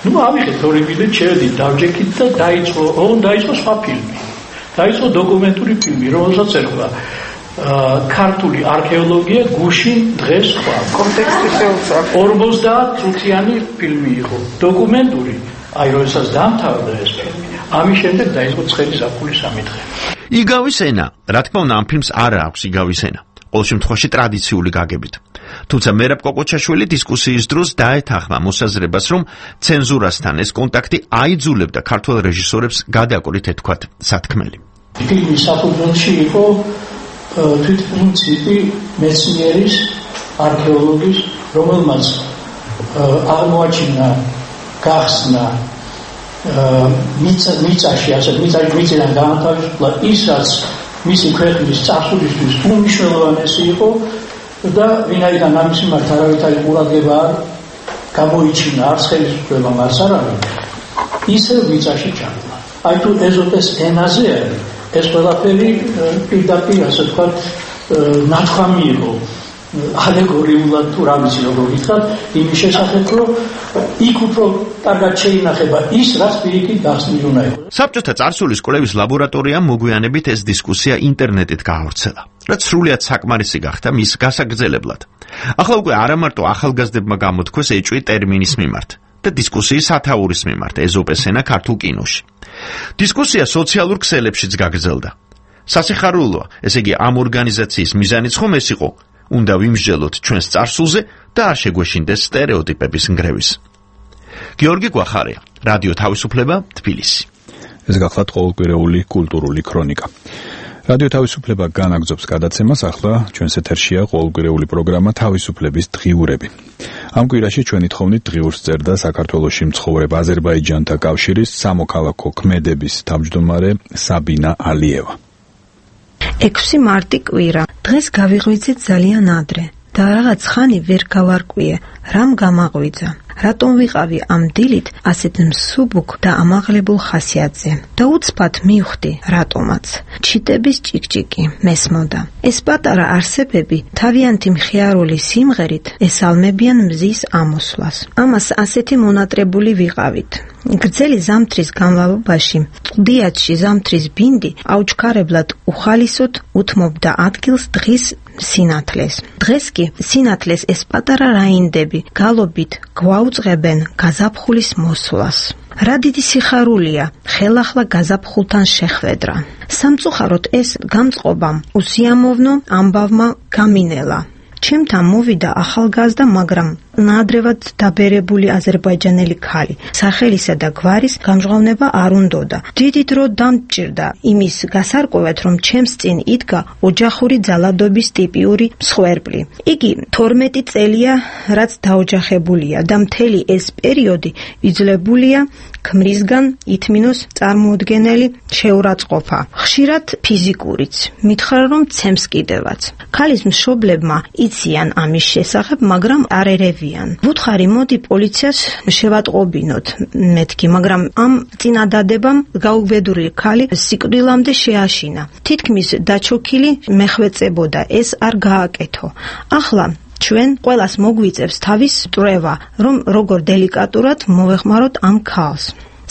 ნუ ავიხეთ ორი ბილეთი, შევედით, დავჯექით და დაიწყო სხვა ფილმი. დაიწყო დოკუმენტური ფილმი, რომელსაც ერქვა ქართული არქეოლოგია გუშინ დღეს სხვა. კონტექსტი შეუცვალ. 50 წუთიანი ფილმი იყო. დოკუმენტური, აი როდესაც დაამთავრდა ეს ფილმი. ამის შემდეგ დაიწყო ცხელი ზაფხულის 3 დღე. იგავის ენა, რა თქმა უნდა, ამ ფილმს არ აქვს იგავის ენა. ყოველ შემთხვევაში ტრადიციული გაგებით. თუმცა მერაბ კოკოჩაშვილი დისკუსიის დროს დაეთანხმა მოსაზრებას, რომ ცენზურასთან ეს კონტაქტი აიძულებდა ქართველ რეჟისორებს გადაკვრით ეთქვათ სათქმელი. ფილმის საფუძველში იყო თვითპრინციპი მეცნიერის, არქეოლოგის, რომელმაც აღმოაჩინა, გახსნა მიწაში, ასე მიწიდან განათავისუფლა ის, რაც მისი ქვეყნის წარსულისთვის უმნიშვნელოვანესი იყო და ვინაიდან ამის მიმართ არავითარი ყურადღება არ გამოიჩინა, არც ხელისუფლებამ, არც არავინ, ისევ მიწაში ჩანდა. აი თუ ეზოპეს ენაზე არის, ეს ყველაფერი პირდაპირ, ასე ვთქვათ, ნათქვამი იყო ალეგორიულად თუ რა ვიცი როგორ ვითხრათ, იმის შესახებ, რომ იქ უფრო კარგად შეინახება ის, რაც პირიქით გახსნილი უნდა იყო. საბჭოთა წარსულის კვლევის ლაბორატორიამ მოგვიანებით ეს დისკუსია ინტერნეტით გაავრცელა, რაც სრულიად საკმარისი გახდა მის გასაგრძელებლად. ახლა უკვე არა მარტო ახალგაზრდებმა გამოთქვეს ეჭვი ტერმინის მიმართ და დისკუსიის სათაურის მიმართ ეზოპეს ენა ქართულ კინოში. დისკუსია სოციალურ ქსელებშიც გაგრძელდა. სასიხარულოა, ესე იგი ამ ორგანიზაციის მიზანიც ხომ ეს იყო, უნდა ვიმსჯელოთ ჩვენს წარსულზე და არ შეგვეშინდეს სტერეოტიპების ნგრევის. გიორგი გვახარია, რადიო თავისუფლება, თბილისი. ეს გახლავთ ყოველკვირეული კულტურული ქრონიკა. რადიო თავისუფლება განაგრძობს გადაცემას, ახლა ჩვენს ეთერშია ყოველკვირეული პროგრამა თავისუფლების დღიურები. ამ კვირაში ჩვენი თხოვნით დღიურს წერდა საქართველოში მცხოვრებ აზერბაიჯანთა კავშირის სამოქალაქო ქმედების თავმჯდომარე საბინა ალიევა. 6 მარტი კვირა. დღეს გავიღვიძეთ ძალიან ადრე და რაღაც ხანი ვერ გავარკვიე, რამ გამაღვიძა. რატომ ვიყავი ამ დილით ასეთ მსუბუქ და ამაღლებულ ხასიათზე და უცბად მივხვდი რატომაც. ჩიტების ჭიკჭიკი მესმოდა. ეს პატარა არსებები თავიანთი მხიარული სიმღერით ესალმებიან მზის ამოსვლას. ამას ასეთი მონატრებული ვიყავით. გრძელი ზამთრის განმავლობაში ყდიათში ზამთრის ბინდი აუჩქარებლად უხალისოდ უთმობდა ადგილს დღის სინათლეს. დღეს კი სინათლეს ეს პატარა რაინდები გალობით გვაუწყებენ გაზაფხულის მოსვლას. რა დიდი სიხარულია ხელახლა გაზაფხულთან შეხვედრა. სამწუხაროდ ეს გამწყობამ უსიამოვნო ამბავმა გამინელა. ჩემთან მოვიდა ახალგაზრდა, მაგრამ ნაადრევად დაბერებული აზერბაიჯანელი ქალი. სახელისა და გვარის გამჟღავნება არ უნდოდა. დიდი დრო დამჭირდა იმის გასარკვევად, რომ ჩემს წინ იდგა ოჯახური ძალადობის ტიპიური მსხვერპლი. იგი 12 წელია, რაც დაოჯახებულია და მთელი ეს პერიოდი იძლებულია ქმრისგან ითმინოს წარმოუდგენელი შეურაცხყოფა. ხშირად ფიზიკურიც. მითხრა, რომ ცემს კიდევაც. ქალის მშობლებმა იციან ამის შესახებ, მაგრამ არ ერევიან. ვუთხარი, მოდი პოლიციას შევატყობინოთ მეთქი, მაგრამ ამ წინადადებამ გაუგებდური ქალი სიკვდილამდე შეაშინა. თითქმის დაჩოქილი მეხვეწებოდა, ეს არ გააკეთო. ახლა ჩვენ ყველას მოგვიწევს თავის წვრევა, რომ როგორ დელიკატურად მოვეხმაროთ ამ ქალს.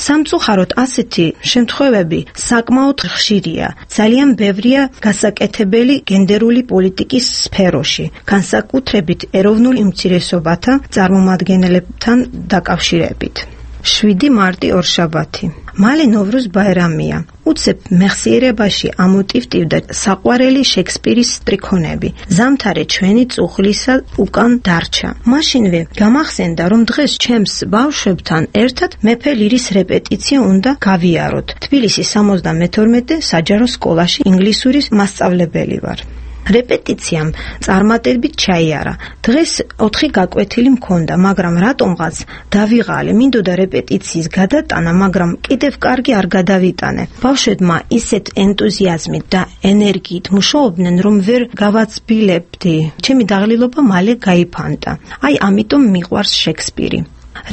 სამწუხაროდ ასეთი შემთხვევები საკმაოდ ხშირია. ძალიან ბევრია გასაკეთებელი გენდერული პოლიტიკის სფეროში, განსაკუთრებით ეროვნულ უმცირესობათა წარმომადგენლებთან დაკავშირებით. 7 მარტი ორშაბათი. მალე ნოვრუზ ბაირამია. უცებ მეხსიერებაში ამოტივტივდა საყვარელი შექსპირის სტრიქონები. ზამთარი ჩვენი წუხლისა უკან დარჩა. მაშინვე გამახსენდა, რომ დღეს ჩემს ბავშვებთან ერთად მეფე ლირის რეპეტიცია უნდა გავიაროთ. თბილისის 72 საჯარო სკოლაში ინგლისურის მასწავლებელი ვარ. რეპეტიციამ წარმატებით ჩაიარა. დღეს 4 გაკვეთილი მქონდა, მაგრამ რატომღაც დავიღალე. მინდოდა რეპეტიციის გადატანა, მაგრამ კიდევ კარგი არ გადავიტანე. ბავშვებმა ისეთ ენტუზიაზმით და ენერგიით მუშაობდნენ, რომ ვერ გავაცბილებდი. ჩემი დაღლილობა მალე გაიფანტა. აი, ამიტომ მიყვარს შექსპირი.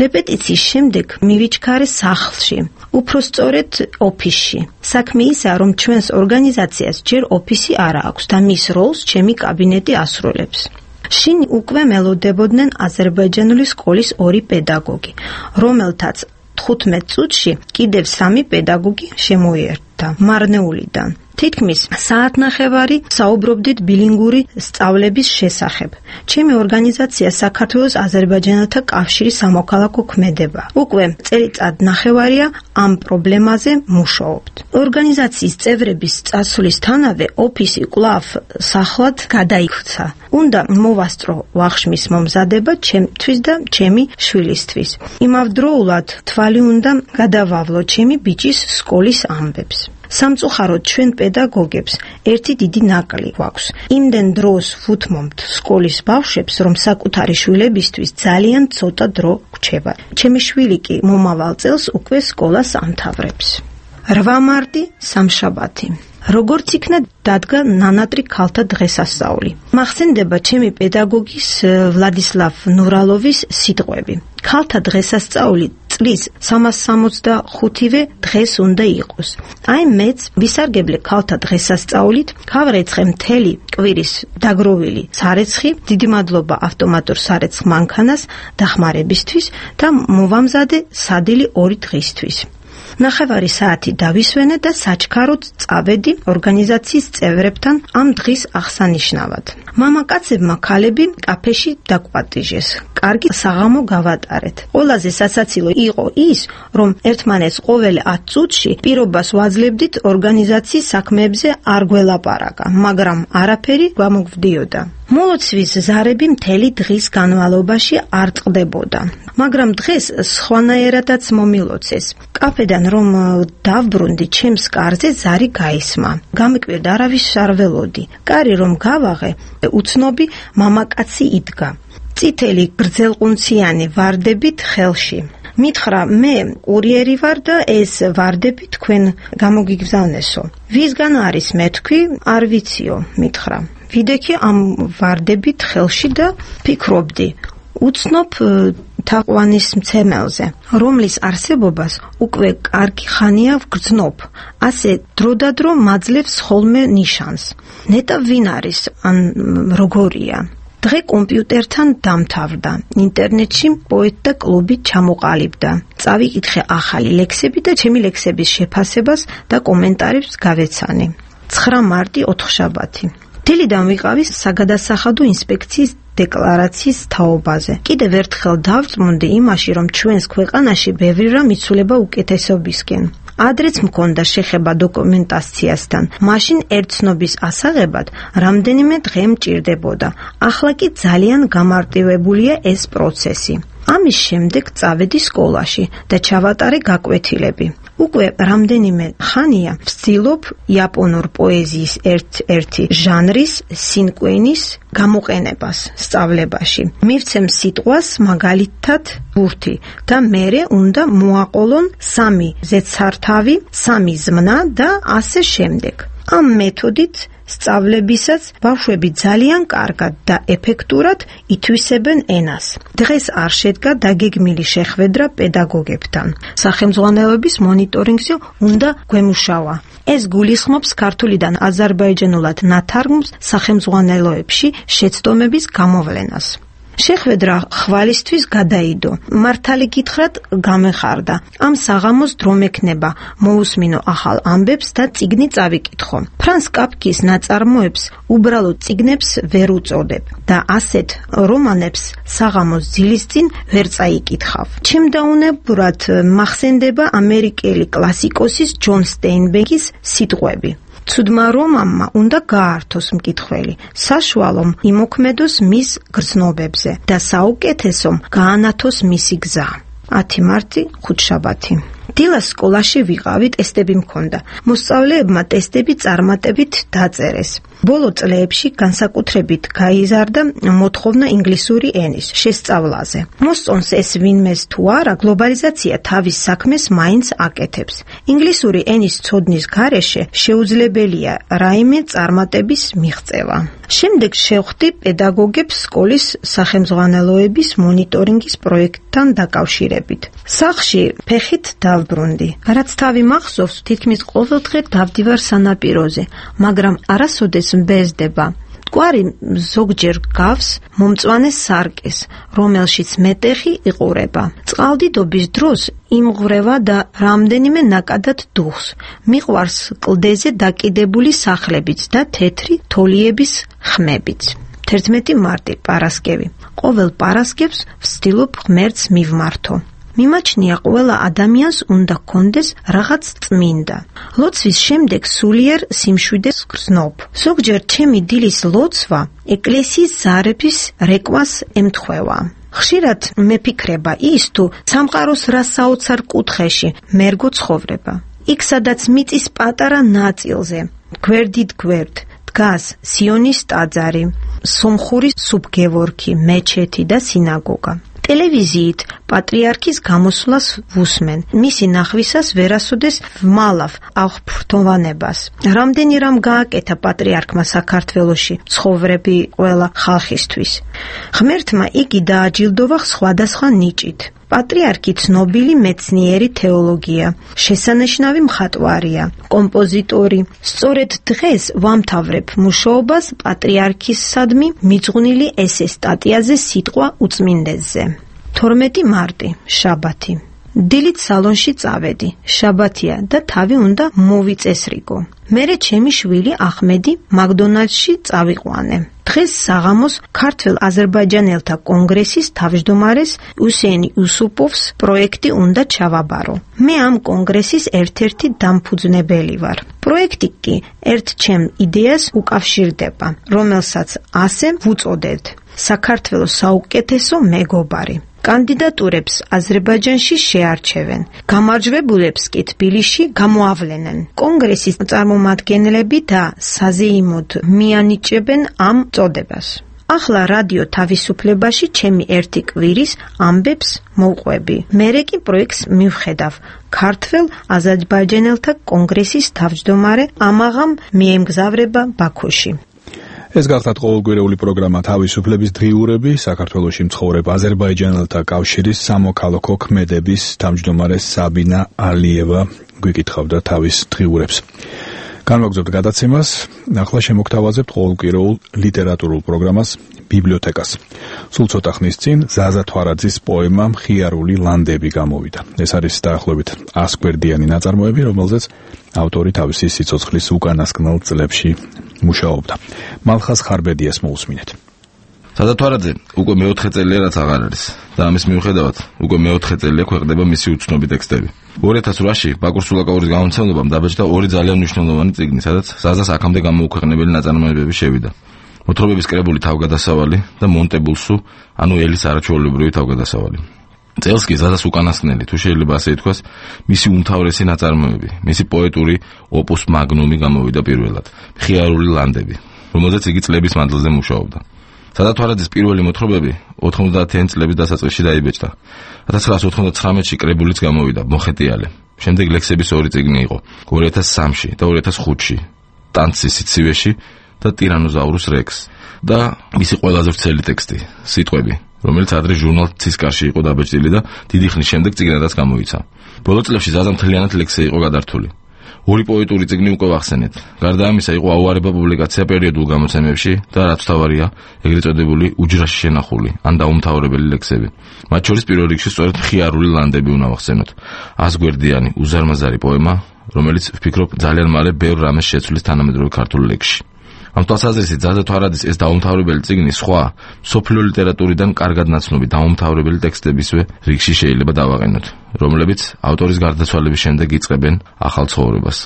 რეპეტიციის შემდეგ მივიჩქარე სახლში, უფრო სწორედ ოფისში. საქმე ისაა, რომ ჩვენს ორგანიზაციას ჯერ ოფისი არ აქვს და მის როლს ჩემი კაბინეტი ასრულებს. შინ უკვე მელოდებოდნენ აზერბაიჯანული სკოლის 2 პედაგოგი, რომელთაც 15 წუთში კიდევ 3 პედაგოგი შემოიერთა მარნეულიდან. თითქმის საათნახევარი საუბრობდით ბილინგური სწავლების შესახებ. ჩემი ორგანიზაცია საქართველოს აზერბაიჯანელთა კავშირის სამოქალაქო ქმედება. უკვე წელიწად ნახევარია ამ პრობლემაზე მუშაობთ. ორგანიზაციის წევრების წასვლისთანავე ოფისი კვლავ სახლად გადაიქცა. უნდა მოვასწრო ვახშმის მომზადება ჩემთვის და ჩემი შვილისთვის. იმავდროულად თვალი უნდა გადავავლო ჩემი ბიჭის სკოლის ამბებს. სამწუხაროდ ჩვენ პედაგოგებს ერთი დიდი ნაკლი გვაქვს. იმდენ დროს ვუთმობთ სკოლის ბავშვებს, რომ საკუთარი შვილებისთვის ძალიან ცოტა დრო გვჩება. ჩემი შვილი კი მომავალ წელს უკვე სკოლას ამთავრებს. 8 მარტი სამშაბათი. როგორც იქნა დადგა ნანატრი ქალთა დღესასწაული. მახსენდება ჩემი პედაგოგის ვლადისლავ ნურალოვის სიტყვები. ქალთა დღესასწაული წლის 365-ვე დღეს უნდა იყოს. აი მეც ვისარგებლე ქალთა დღესასწაულით, გავრეცხე მთელი კვირის დაგროვილი სარეცხი, დიდი მადლობა ავტომატურ სარეცხ მანქანას დახმარებისთვის და მოვამზადე სადილი 2 დღისთვის. ნახევარი საათი დავისვენე და საჩქაროდ წავედი ორგანიზაციის წევრებთან ამ დღის აღსანიშნავად. მამაკაცებმა ქალები კაფეში დაგვატიჟეს. კარგი საღამო გავატარეთ. ყველაზე სასაცილო იყო ის, რომ ერთმანეთს ყოველ 10 წუთში პირობას ვაძლევდით ორგანიზაციის საქმეებზე არ გველაპარაკა, მაგრამ არაფერი გამოგვდიოდა. მოლოცვის ზარები მთელი დღის განმავლობაში არ წყდებოდა, მაგრამ დღეს სხვანაირადაც მომილოცეს. კაფედან რომ დავბრუნდი, ჩემს კარზე ზარი გაისმა. გამიკვირდა, არავის არ ველოდი. კარი რომ გავაღე, უცნობი მამაკაცი იდგა. წითელი გრძელყუნციანი ვარდებით ხელში. მითხრა, მე კურიერი ვარ და ეს ვარდები თქვენ გამოგიგზავნესო. ვისგან არის მე თქვი, არ ვიციო, მითხრა. ვიდექი ამ ვარდებით ხელში და ფიქრობდი, უცნობ თაყვანის მცემელზე, რომლის არსებობას უკვე კარგი ხანია ვგრძნობ, ასე დროდადრო მაძლევს ხოლმე ნიშანს. ნეტა ვინ არის, ან როგორია? დღე კომპიუტერთან დამთავრდა, ინტერნეტში პოეტთა კლუბი ჩამოყალიბდა. წავიკითხე ახალი ლექსები და ჩემი ლექსების შეფასებას და კომენტარებს გავეცანი. 9 მარტი ოთხშაბათი. დილიდან ვიყავი საგადასახადო ინსპექციის დეკლარაციის თაობაზე. კიდევ ერთხელ დავწმუნდი იმაში, რომ ჩვენს ქვეყანაში ბევრი რამ იცვლება უკეთესობისკენ. ადრეც მქონდა შეხება დოკუმენტაციასთან. მაშინ ერთცნობის ასაღებად რამდენიმე დღე მჭირდებოდა. ახლა კი ძალიან გამარტივებულია ეს პროცესი. ამის შემდეგ წავედი სკოლაში და ჩავატარე გაკვეთილები. უკვე რამდენიმე ხანია ვცდილობ იაპონურ პოეზიის ერთ-ერთი ჟანრის სინკვენის გამოყენებას სწავლებაში. მივცემ სიტყვას მაგალითად ბურთი და მერე უნდა მოაყოლონ 3 ზეცართავი, 3 ზმნა და ასე შემდეგ. ამ მეთოდით სწავლებისას ბავშვები ძალიან კარგად და ეფექტურად ითვისებენ ენას. დღეს არ შედგა დაგეგმილი შეხვედრა პედაგოგებთან. სახელმძღვანელოების მონიტორინგზე უნდა გვემუშავა. ეს გულისხმობს ქართულიდან აზერბაიჯანულად ნათარგმნს სახელმძღვანელოებში შეცდომების გამოვლენას. შეხვედრა ხვალისთვის გადაიდო. მართალი გითხრათ, გამეხარდა. ამ საღამოს დრო მექნება, მოусმინო ახალ ამბებს და წიგნი წავიკითხო. ფრანს კაფკის ნაწარმოებს უბრალოდ წიგნებს ვერ უწოდებ და ასეთ რომანებს საღამოს ძილის წინ ვერ წაიკითხავ. ჩემდაუნებურად მახსენდება ამერიკელი კლასიკოსის ჯონ სტეინბეკის სიტყვები. ცუდმა რომანმა უნდა გაართოს მკითხველი, საშუალომ იმოქმედოს მის გრძნობებზე და საუკეთესომ გაანათოს მისი გზა. 10 მარტი, ხუთშაბათი. დილას სკოლაში ვიყავი, ტესტები მქონდა. მოსწავლეებმა ტესტები წარმატებით დაწერეს. ბოლო წლებში განსაკუთრებით გაიზარდა მოთხოვნა ინგლისური ენის შესწავლაზე. მოსწონს ეს ვინმეს თუ არა, გლობალიზაცია თავის საქმეს მაინც აკეთებს. ინგლისური ენის ცოდნის გარეშე შეუძლებელია რაიმე წარმატების მიღწევა. შემდეგ შევხვდი პედაგოგებს სკოლის სახელმძღვანელოების მონიტორინგის პროექტთან დაკავშირებით. სახლში ფეხით დავბრუნდი. რაც თავი მახსოვს, თითქმის ყოველდღე დავდივარ სანაპიროზე, მაგრამ არასოდეს მბეზდება. მტკვარი ზოგჯერ გავს მომწვანე სარკეს, რომელშიც მეტეხი იყურება. წყალდიდობის დროს იმღვრევა და რამდენიმე ნაკადად დუხს. მიყვარს კლდეზე დაკიდებული სახლებიც და თეთრი თოლიების ხმებიც. 11 მარტი, პარასკევი. ყოველ პარასკევს ვცდილობ ღმერთს მივმართო. მიმაჩნია ყველა ადამიანს უნდა ჰქონდეს რაღაც წმინდა. ლოცვის შემდეგ სულიერ სიმშვიდეს გრძნობ. ზოგჯერ ჩემი დილის ლოცვა ეკლესიის ზარების რეკვას ემთხვევა. ხშირად მეფიქრება ის თუ სამყაროს რა საოცარ კუთხეში მერგო ცხოვრება. იქ სადაც მიწის პატარა ნაწილზე, გვერდით გვერდ, დგას სიონის ტაძარი, სომხური სუბგევორქი, მეჩეთი და სინაგოგა. ტელევიზიით პატრიარქის გამოსვლას ვუსმენ. მისი ნახვისას ვერასოდეს ვმალავ აღფრთოვანებას. რამდენი რამ გააკეთა პატრიარქმა საქართველოში ცხოვრები ყველა ხალხისთვის. ღმერთმა იგი დააჯილდოვა სხვადასხვა ნიჭით. პატრიარქი ცნობილი მეცნიერი თეოლოგია, შესანიშნავი მხატვარია, კომპოზიტორი. სწორედ დღეს ვამთავრებ მუშაობას პატრიარქისადმი მიძღვნილი ესე სტატიაზე სიტყვა უწმინდესზე. 12 მარტი, შაბათი. დილით სალონში წავედი, შაბათია და თავი უნდა მოვიწესრიგო. მერე ჩემი შვილი ახმედი მაკდონალდსში წავიყვანე. დღეს საღამოს ქართველ აზერბაიჯანელთა კონგრესის თავმჯდომარეს უსეინ იუსუპოვს პროექტი უნდა ჩავაბარო. მე ამ კონგრესის ერთ-ერთი დამფუძნებელი ვარ. პროექტი კი ერთ ჩემ იდეას უკავშირდება, რომელსაც ასე ვუწოდეთ: საქართველოს საუკეთესო მეგობარი. კანდიდატურებს აზერბაიჯანში შეარჩევენ, გამარჯვებულებს კი თბილისში გამოავლენენ. კონგრესის წარმომადგენლები და საზეიმოდ მიანიჭებენ ამ წოდებას. ახლა რადიო თავისუფლებაში ჩემი ერთი კვირის ამბებს მოვყვები. მერე კი პროექტს მივხედავ. ქართველ აზერბაიჯანელთა კონგრესის თავმჯდომარე ამაღამ მიემგზავრება ბაქოში. ეს გახლავთ ყოველკვირეული პროგრამა თავისუფლების დღიურები. საქართველოში მცხოვრებ აზერბაიჯანელთა კავშირის სამოქალაქო ქმედების თავმჯდომარე საბინა ალიევა გვიკითხავდა თავის დღიურებს. განვაგრძობთ გადაცემას. ახლა შემოგთავაზებთ ყოველკვირეულ ლიტერატურულ პროგრამას ბიბლიოთეკას. სულ ცოტა ხნის წინ ზაზა თვარაძის პოემა მხიარული ლანდები გამოვიდა. ეს არის დაახლოებით 100 გვერდიანი ნაწარმოები, რომელზეც ავტორი თავისი სიცოცხლის უკანასკნელ წლებში მუშაობდა. მალხას ხარბედიას მოусმინეთ. სადათვარაძე უკვე მეოთხე წელია რაც აღარ არის და ამის მიუხედავად უკვე მეოთხე წელია ქვეყნდება მისი უცნობი ტექსტები. 2008-ში ბაკურ სულაკაურის გამომცემლობამ დაბეჭდა ორი ძალიან მნიშვნელოვანი წიგნი, სადაც ზაზას აქამდე გამოუქვეყნებელი ნაწარმოებები შევიდა. მოთხრობების კრებული თავგადასავალი და მონტებულსუ, ანუ ელის არაჩვეულებრივი თავგადასავალი. წელს კი ზაზას უკანასკნელი, თუ შეიძლება ასე ითქვას, მისი უმთავრესი ნაწარმოები, მისი პოეტური ოპუს მაგნუმი გამოვიდა პირველად, მხიარული ლანდები, რომელზეც იგი წლების მანძილზე მუშაობდა. სადათვარაძის პირველი მოთხრობები 90-იანი წლების დასაწყისში დაიბეჭდა. 1999-ში კრებულიც გამოვიდა, მოხეტიალე. შემდეგ ლექსების ორი წიგნი იყო, 2003-ში და 2005-ში, ტანცის სიცივეში და ტირანოზაურუს რექს და მისი ყველაზე ვრცელი ტექსტი, სიტყვები, რომელიც ადრე ჟურნალ ცისკარში იყო დაბეჭდილი და დიდი ხნის შემდეგ წიგნადაც გამოიცა. ბოლო წლებში ზაზა მთლიანად ლექსზე იყო გადართული. ორი პოეტური წიგნი უკვე ვახსენეთ. გარდა ამისა იყო აუარება პუბლიკაცია პერიოდულ გამოცემებში და რაც თავარია, ეგრეთ წოდებული უჯრაში შენახული ან დაუმთავრებელი ლექსები. მათ შორის პირველ რიგში სწორედ მხიარული ლანდები უნდა ვახსენოთ. 100 გვერდიანი უზარმაზარი პოემა, რომელიც ვფიქრობ ძალიან მალე ბევრ რამეს შეცვლის თანამედროვე ქართულ ლექსში. ამ თვალსაზრისით ზაზათვარაძის ეს დაუმთავრებელი წიგნი სხვა მსოფლიო ლიტერატურიდან კარგად ნაცნობი დაუმთავრებელი ტექსტებისვე რიგში შეიძლება დავაყენოთ, რომლებიც ავტორის გარდაცვალების შემდეგ იწყებენ ახალ ცხოვრებას.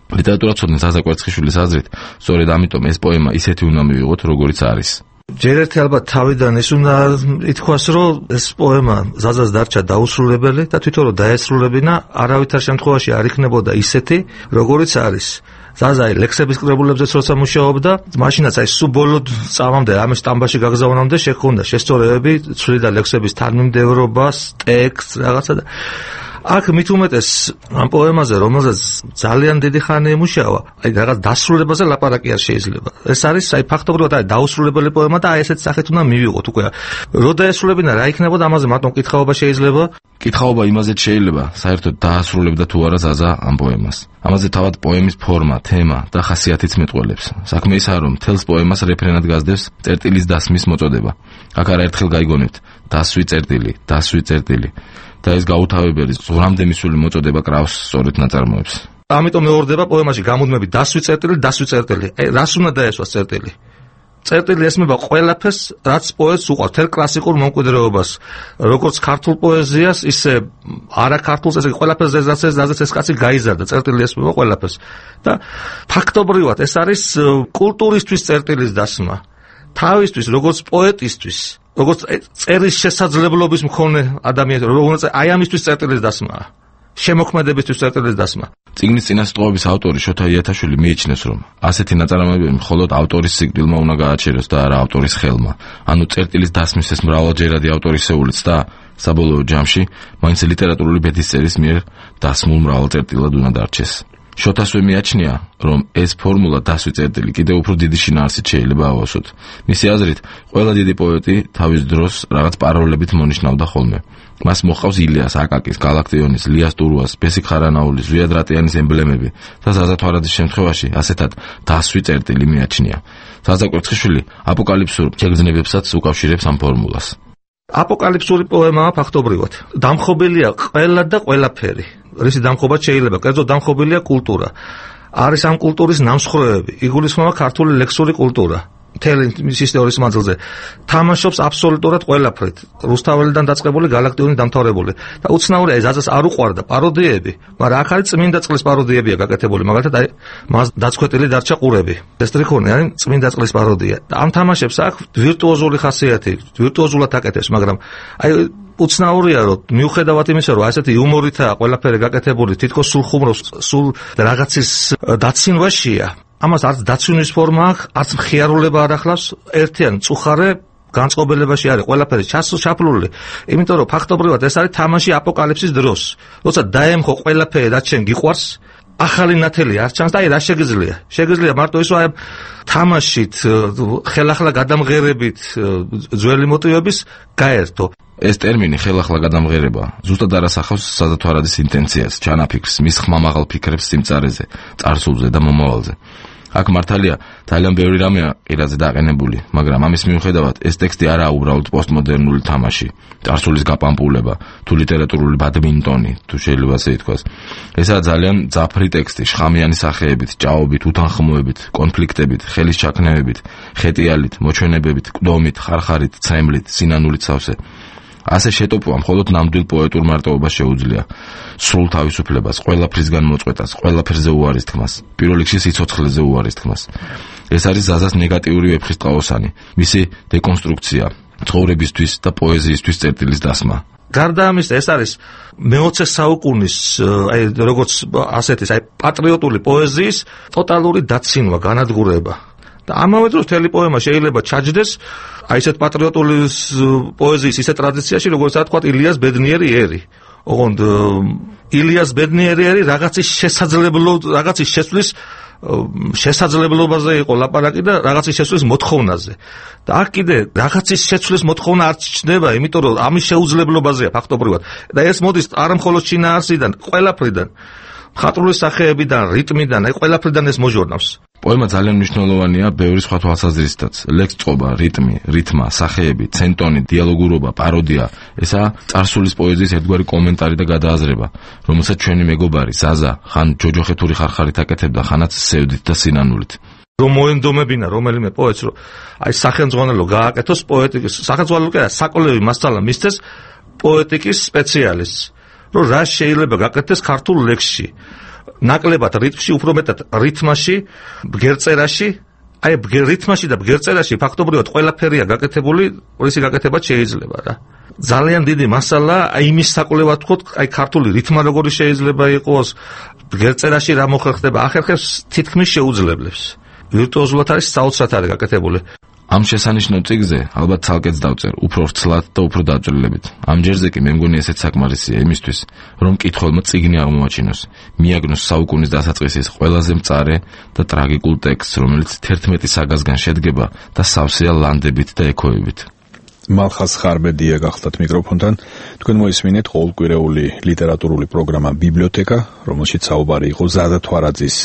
ლიტერატურაცოდნე ზაზა კვერცხიშვილის აზრით, სწორედ ამიტომ ეს პოემა ისეთი უნდა მივიღოთ, როგორიც არის. ჯერ ერთი ალბათ თავიდან ის უნდა ითქვას, რომ ეს პოემა ზაზას დარჩა დაუსრულებელი და თვითონ რომ დაესრულებინა, არავითარ შემთხვევაში არ იქნებოდა ისეთი, როგორიც არის. ზაზა ლექსების კრებულებზეც როცა მუშაობდა, მაშინაც სულ ბოლო წამამდე ამის სტამბაში გაგზავნამდე შეხვდა შესწორებები, ცვლიდა ლექსების თანმიმდევრობას, ტექსტს, რაღაცა და აქ მით უმეტეს ამ პოემაზე, რომელზეც ძალიან დიდი ხანი იმუშავა, რაღაც დასრულებაზე ლაპარაკი არ შეიძლება. ეს არის ფაქტობრივად დაუსრულებელი პოემა და ესეთ სახით უნდა მივიღოთ უკვე. რო დაესრულებინა, რა იქნებოდა, ამაზე მარტო კითხაობა შეიძლება. კითხაობა იმაზეც შეიძლება, საერთოდ დაასრულებდა თუ არა ზაზა ამ პოემას. ამაზე თავად პოემის ფორმა, თემა და ხასიათიც მეტყველებს. საქმე ისაა, რომ მთელს პოემას რეფრენად გასდევს წერტილის დასმის მოწოდება. აქ არაერთხელ გაიგონებთ, დასვი წერტილი. და ეს გაუთავებელი ზღვრამდე მისული მოწოდება კრავს სწორედ ნაწარმოებს. ამიტომ მეორდება პოემაში გამუდმები დასვი წერტილი. რას უნდა დაესვას წერტილი? წერტილი ესმება ყველაფერს, რაც პოეტს უყვარს, თელ კლასიკურ მომკვიდრეობას, როგორც ქართულ პოეზიას, ისე არაქართულს, ესე ყველაფერს ზედაც ეს კაცი გაიზარდა, წერტილი ესმება ყველაფერს. და ფაქტობრივად ეს არის კულტურისთვის წერტილის დასმა. თავისთვის, როგორც პოეტისთვის, როგორც წერის შესაძლებლობის მქონე ადამიანს, როგორც აი ამისთვის წერტილის დასმაა. შემოქმედებისთვის წერტილის დასმა. წიგნის წინასწრობის ავტორი შოთა იათაშვილი მიიჩნევს, რომ ასეთი ნაწარმოებები მხოლოდ ავტორის სიკვდილმა უნდა გააჩეროს და არა ავტორის ხელმა. ანუ წერტილის დასმის ეს მრავალჯერადი ავტორისეულიც და საბოლოო ჯამში მაინც ლიტერატურული ბედისწერის მიერ დასმულ მრავალწერტილად უნდა დარჩეს. შოთასვე მიაჩნია, რომ ეს ფორმულა დასვი წერტილი კიდევ უფრო დიდი შინაარსით შეიძლება ავასოთ. მისი აზრით, ყველა დიდი პოეტი თავის დროს რაღაც პაროლებით მონიშნავდა ხოლმე. მას მოჰყავს ილიას, აკაკის, გალაქტიონის, ლიას ტურუას, ბესიკ ხარანაულის, ზვიად რატიანის ემბლემები და ზაზათვარაძის შემთხვევაში ასეთად დასვი წერტილი მიაჩნია. ზაზა კვერცხიშვილი აპოკალიფსურ შეგრძნებებსაც უკავშირებს ამ ფორმულას. აპოკალიფსური პოემაა ფაქტობრივად. დამხობილია ყველა და ყველაფერი. რისი დამხობაც შეიძლება, კერძოდ დამხობილია კულტურა. არის ამ კულტურის ნამსხვრევები, იგულისხმება ქართული ლექსური კულტურა. მთელი ისტორიის მანძილზე თამაშობს აბსოლუტურად ყველაფრით. რუსთაველიდან დაწყებული, გალაქტიონი დამთავრებული. და უცნაურია, ზაზას არ უყვარდა პაროდიები, მაგრამ აქ არის წმინდა წყლის პაროდიებია გაკეთებული. მაგალითად, აი მას დაცქვეტილი დარჩა ყურები. ესტრიქონი არის წმინდა წყლის პაროდია. და ამ თამაშებს აქვს ვირტუოზული ხასიათი, ვირტუოზულად აკეთებს, მაგრამ აი უცნაურია, რომ მიუხედავად იმისა, რომ ასეთი იუმორითაა ყველაფერი გაკეთებული, თითქოს სულ ხუმრობს, სულ რაღაცის დაცინვაშია. ამას არც დაცვინის ფორმა აქვს, არც მხიარულება არ ახლავს, ერთიან წუხარე განწყობელებაში არის ყველაფერი ჩაფლული. იმიტომ რომ ფაქტობრივად ეს არის თამაში აპოკალიფსის დროს. როცა დაემხო ყველაფერი, რაც შენ გიყვარს, ახალი ნათელი არ ჩანს და აი რა შეგიძლია? შეგიძლია მარტო ის რომ აი თამაშით, ხელახლა გადამღერებით ძველი მოტივების გაერთო. ეს ტერმინი ხელახლა გადამღერება ზუსტად არ ასახავს საზათვარაძის ინტენციას, ჩანაფიქრს, მის ხმამაღალ ფიქრებს სიმწარეზე, წარსულზე და მომავალზე. აქ მართალია ძალიან ბევრი რამეა ყირაძე დაყენებული, მაგრამ ამის მიუხედავად ეს ტექსტი არაა უბრალოდ პოსტმოდერნული თამაში, წარსულის გაპამპულება, თუ ლიტერატურული ბადმინტონი, თუ შეიძლება ასე ითქვას. ესაა ძალიან ძაფრი ტექსტი, შხამიანი სახეებით, ჭაობით, უთანხმოებით, კონფლიქტებით, ხელის ჩაქნევებით, ხეტიალით, მოჩვენებებით, კდომით, ხარხარით, ცემლით, სინანულით სავსე. ასე შეტოპვა მხოლოდ ნამდვილ პოეტურ მარტოობას შეუძლია. სრულ თავისუფლებას, ყველაფრისგან მოწყვეტას, ყველაფერზე უარის თქმას, პირველ რიგში სიცოცხლეზე უარის თქმას. ეს არის ზაზას ნეგატიური ვეფხისტყაოსანი, მისი დეკონსტრუქცია, ცხოვრებისთვის და პოეზიისთვის წერტილის დასმა. გარდა ამისა, ეს არის მე-20 საუკუნის, როგორც ასეთის, პატრიოტული პოეზიის ტოტალური დაცინვა, განადგურება. და ამავე დროს მთელი პოემა შეიძლება ჩაჯდეს ესეთ პატრიოტული პოეზიის ისეთ ტრადიციაში, როგორც თქვა ილიას ბედნიერი ერი. ოღონდ ილიას ბედნიერი ერი რაღაცის შესვლის შესაძლებლობაზე იყო ლაპარაკი და რაღაცის შესვლის მოთხოვნაზე. და აქ კიდე რაღაცის შეცვლის მოთხოვნა არ ჩნდება, იმიტომ რომ ამის შეუძლებლობაზეა ფაქტობრივად. და ეს მოდის არა მხოლოდ შინაარსიდან, ყველაფრიდან, მხატვრული სახეებიდან, რიტმიდან, ყველაფრიდან ეს მოჟორნავს. პოემა ძალიან მნიშვნელოვანია ბევრი სხვა თვალსაზრისითაც. ლექსწყობა, რიტმი, რითმა, სახეები, ცენტონი, დიალოგურობა, პაროდია, ესაა წარსულის პოეზიის ერთგვარი კომენტარი და გადააზრება, რომელსაც ჩვენი მეგობარი ზაზა ხან ჯოჯოხეთური ხარხარით აკეთებდა, ხანაც სევდით და სინანულით. რომ მოენდომებინა რომელიმე პოეტს, რომ სახელმძღვანელო გააკეთოს პოეტიკის, სახელმძღვანელო კი არა, საკოლევი მასწავლა მისცეს პოეტიკის სპეციალისტს, რომ რა შეიძლება გაკეთდეს ქართულ ლექსში. ნაკლებად რიტმში, უფრო მეტად რითმაში, ბგერწერაში, რითმაში და ბგერწერაში ფაქტობრივად ყველაფერია გაკეთებული, რისი გაკეთება შეიძლება რა. ძალიან დიდი მასალა იმის საკვლევად ვთქვათ, ქართული რითმა როგორი შეიძლება იყოს, ბგერწერაში რა მოხერხდება, ახერხებს თითქმის შეუძლებლებს. ვირტუოზულად არის საოცრად არის გაკეთებული. ამ შესანიშნავ წიგნზე ალბათ ცალკეც დავწერ, უფრო ვრცლად და უფრო დაწვრილებით. ამ ჯერზე კი მე მგონი ესეც საკმარისია იმისთვის, რომ მკითხველმა წიგნი აღმოაჩინოს, მიაგნოს საუკუნის დასაწყისის ყველაზე მწარე და ტრაგიკულ ტექსტს, რომელიც 11 საგაზგან შედგება და სავსეა ლანდებით და ექოებით. მალხაზ ხარბედია გახლდათ მიკროფონთან. თქვენ მოისმინეთ ყოველკვირეული ლიტერატურული პროგრამა ბიბლიოთეკა, რომელშიც საუბარი იყო ზაზა თვარაძის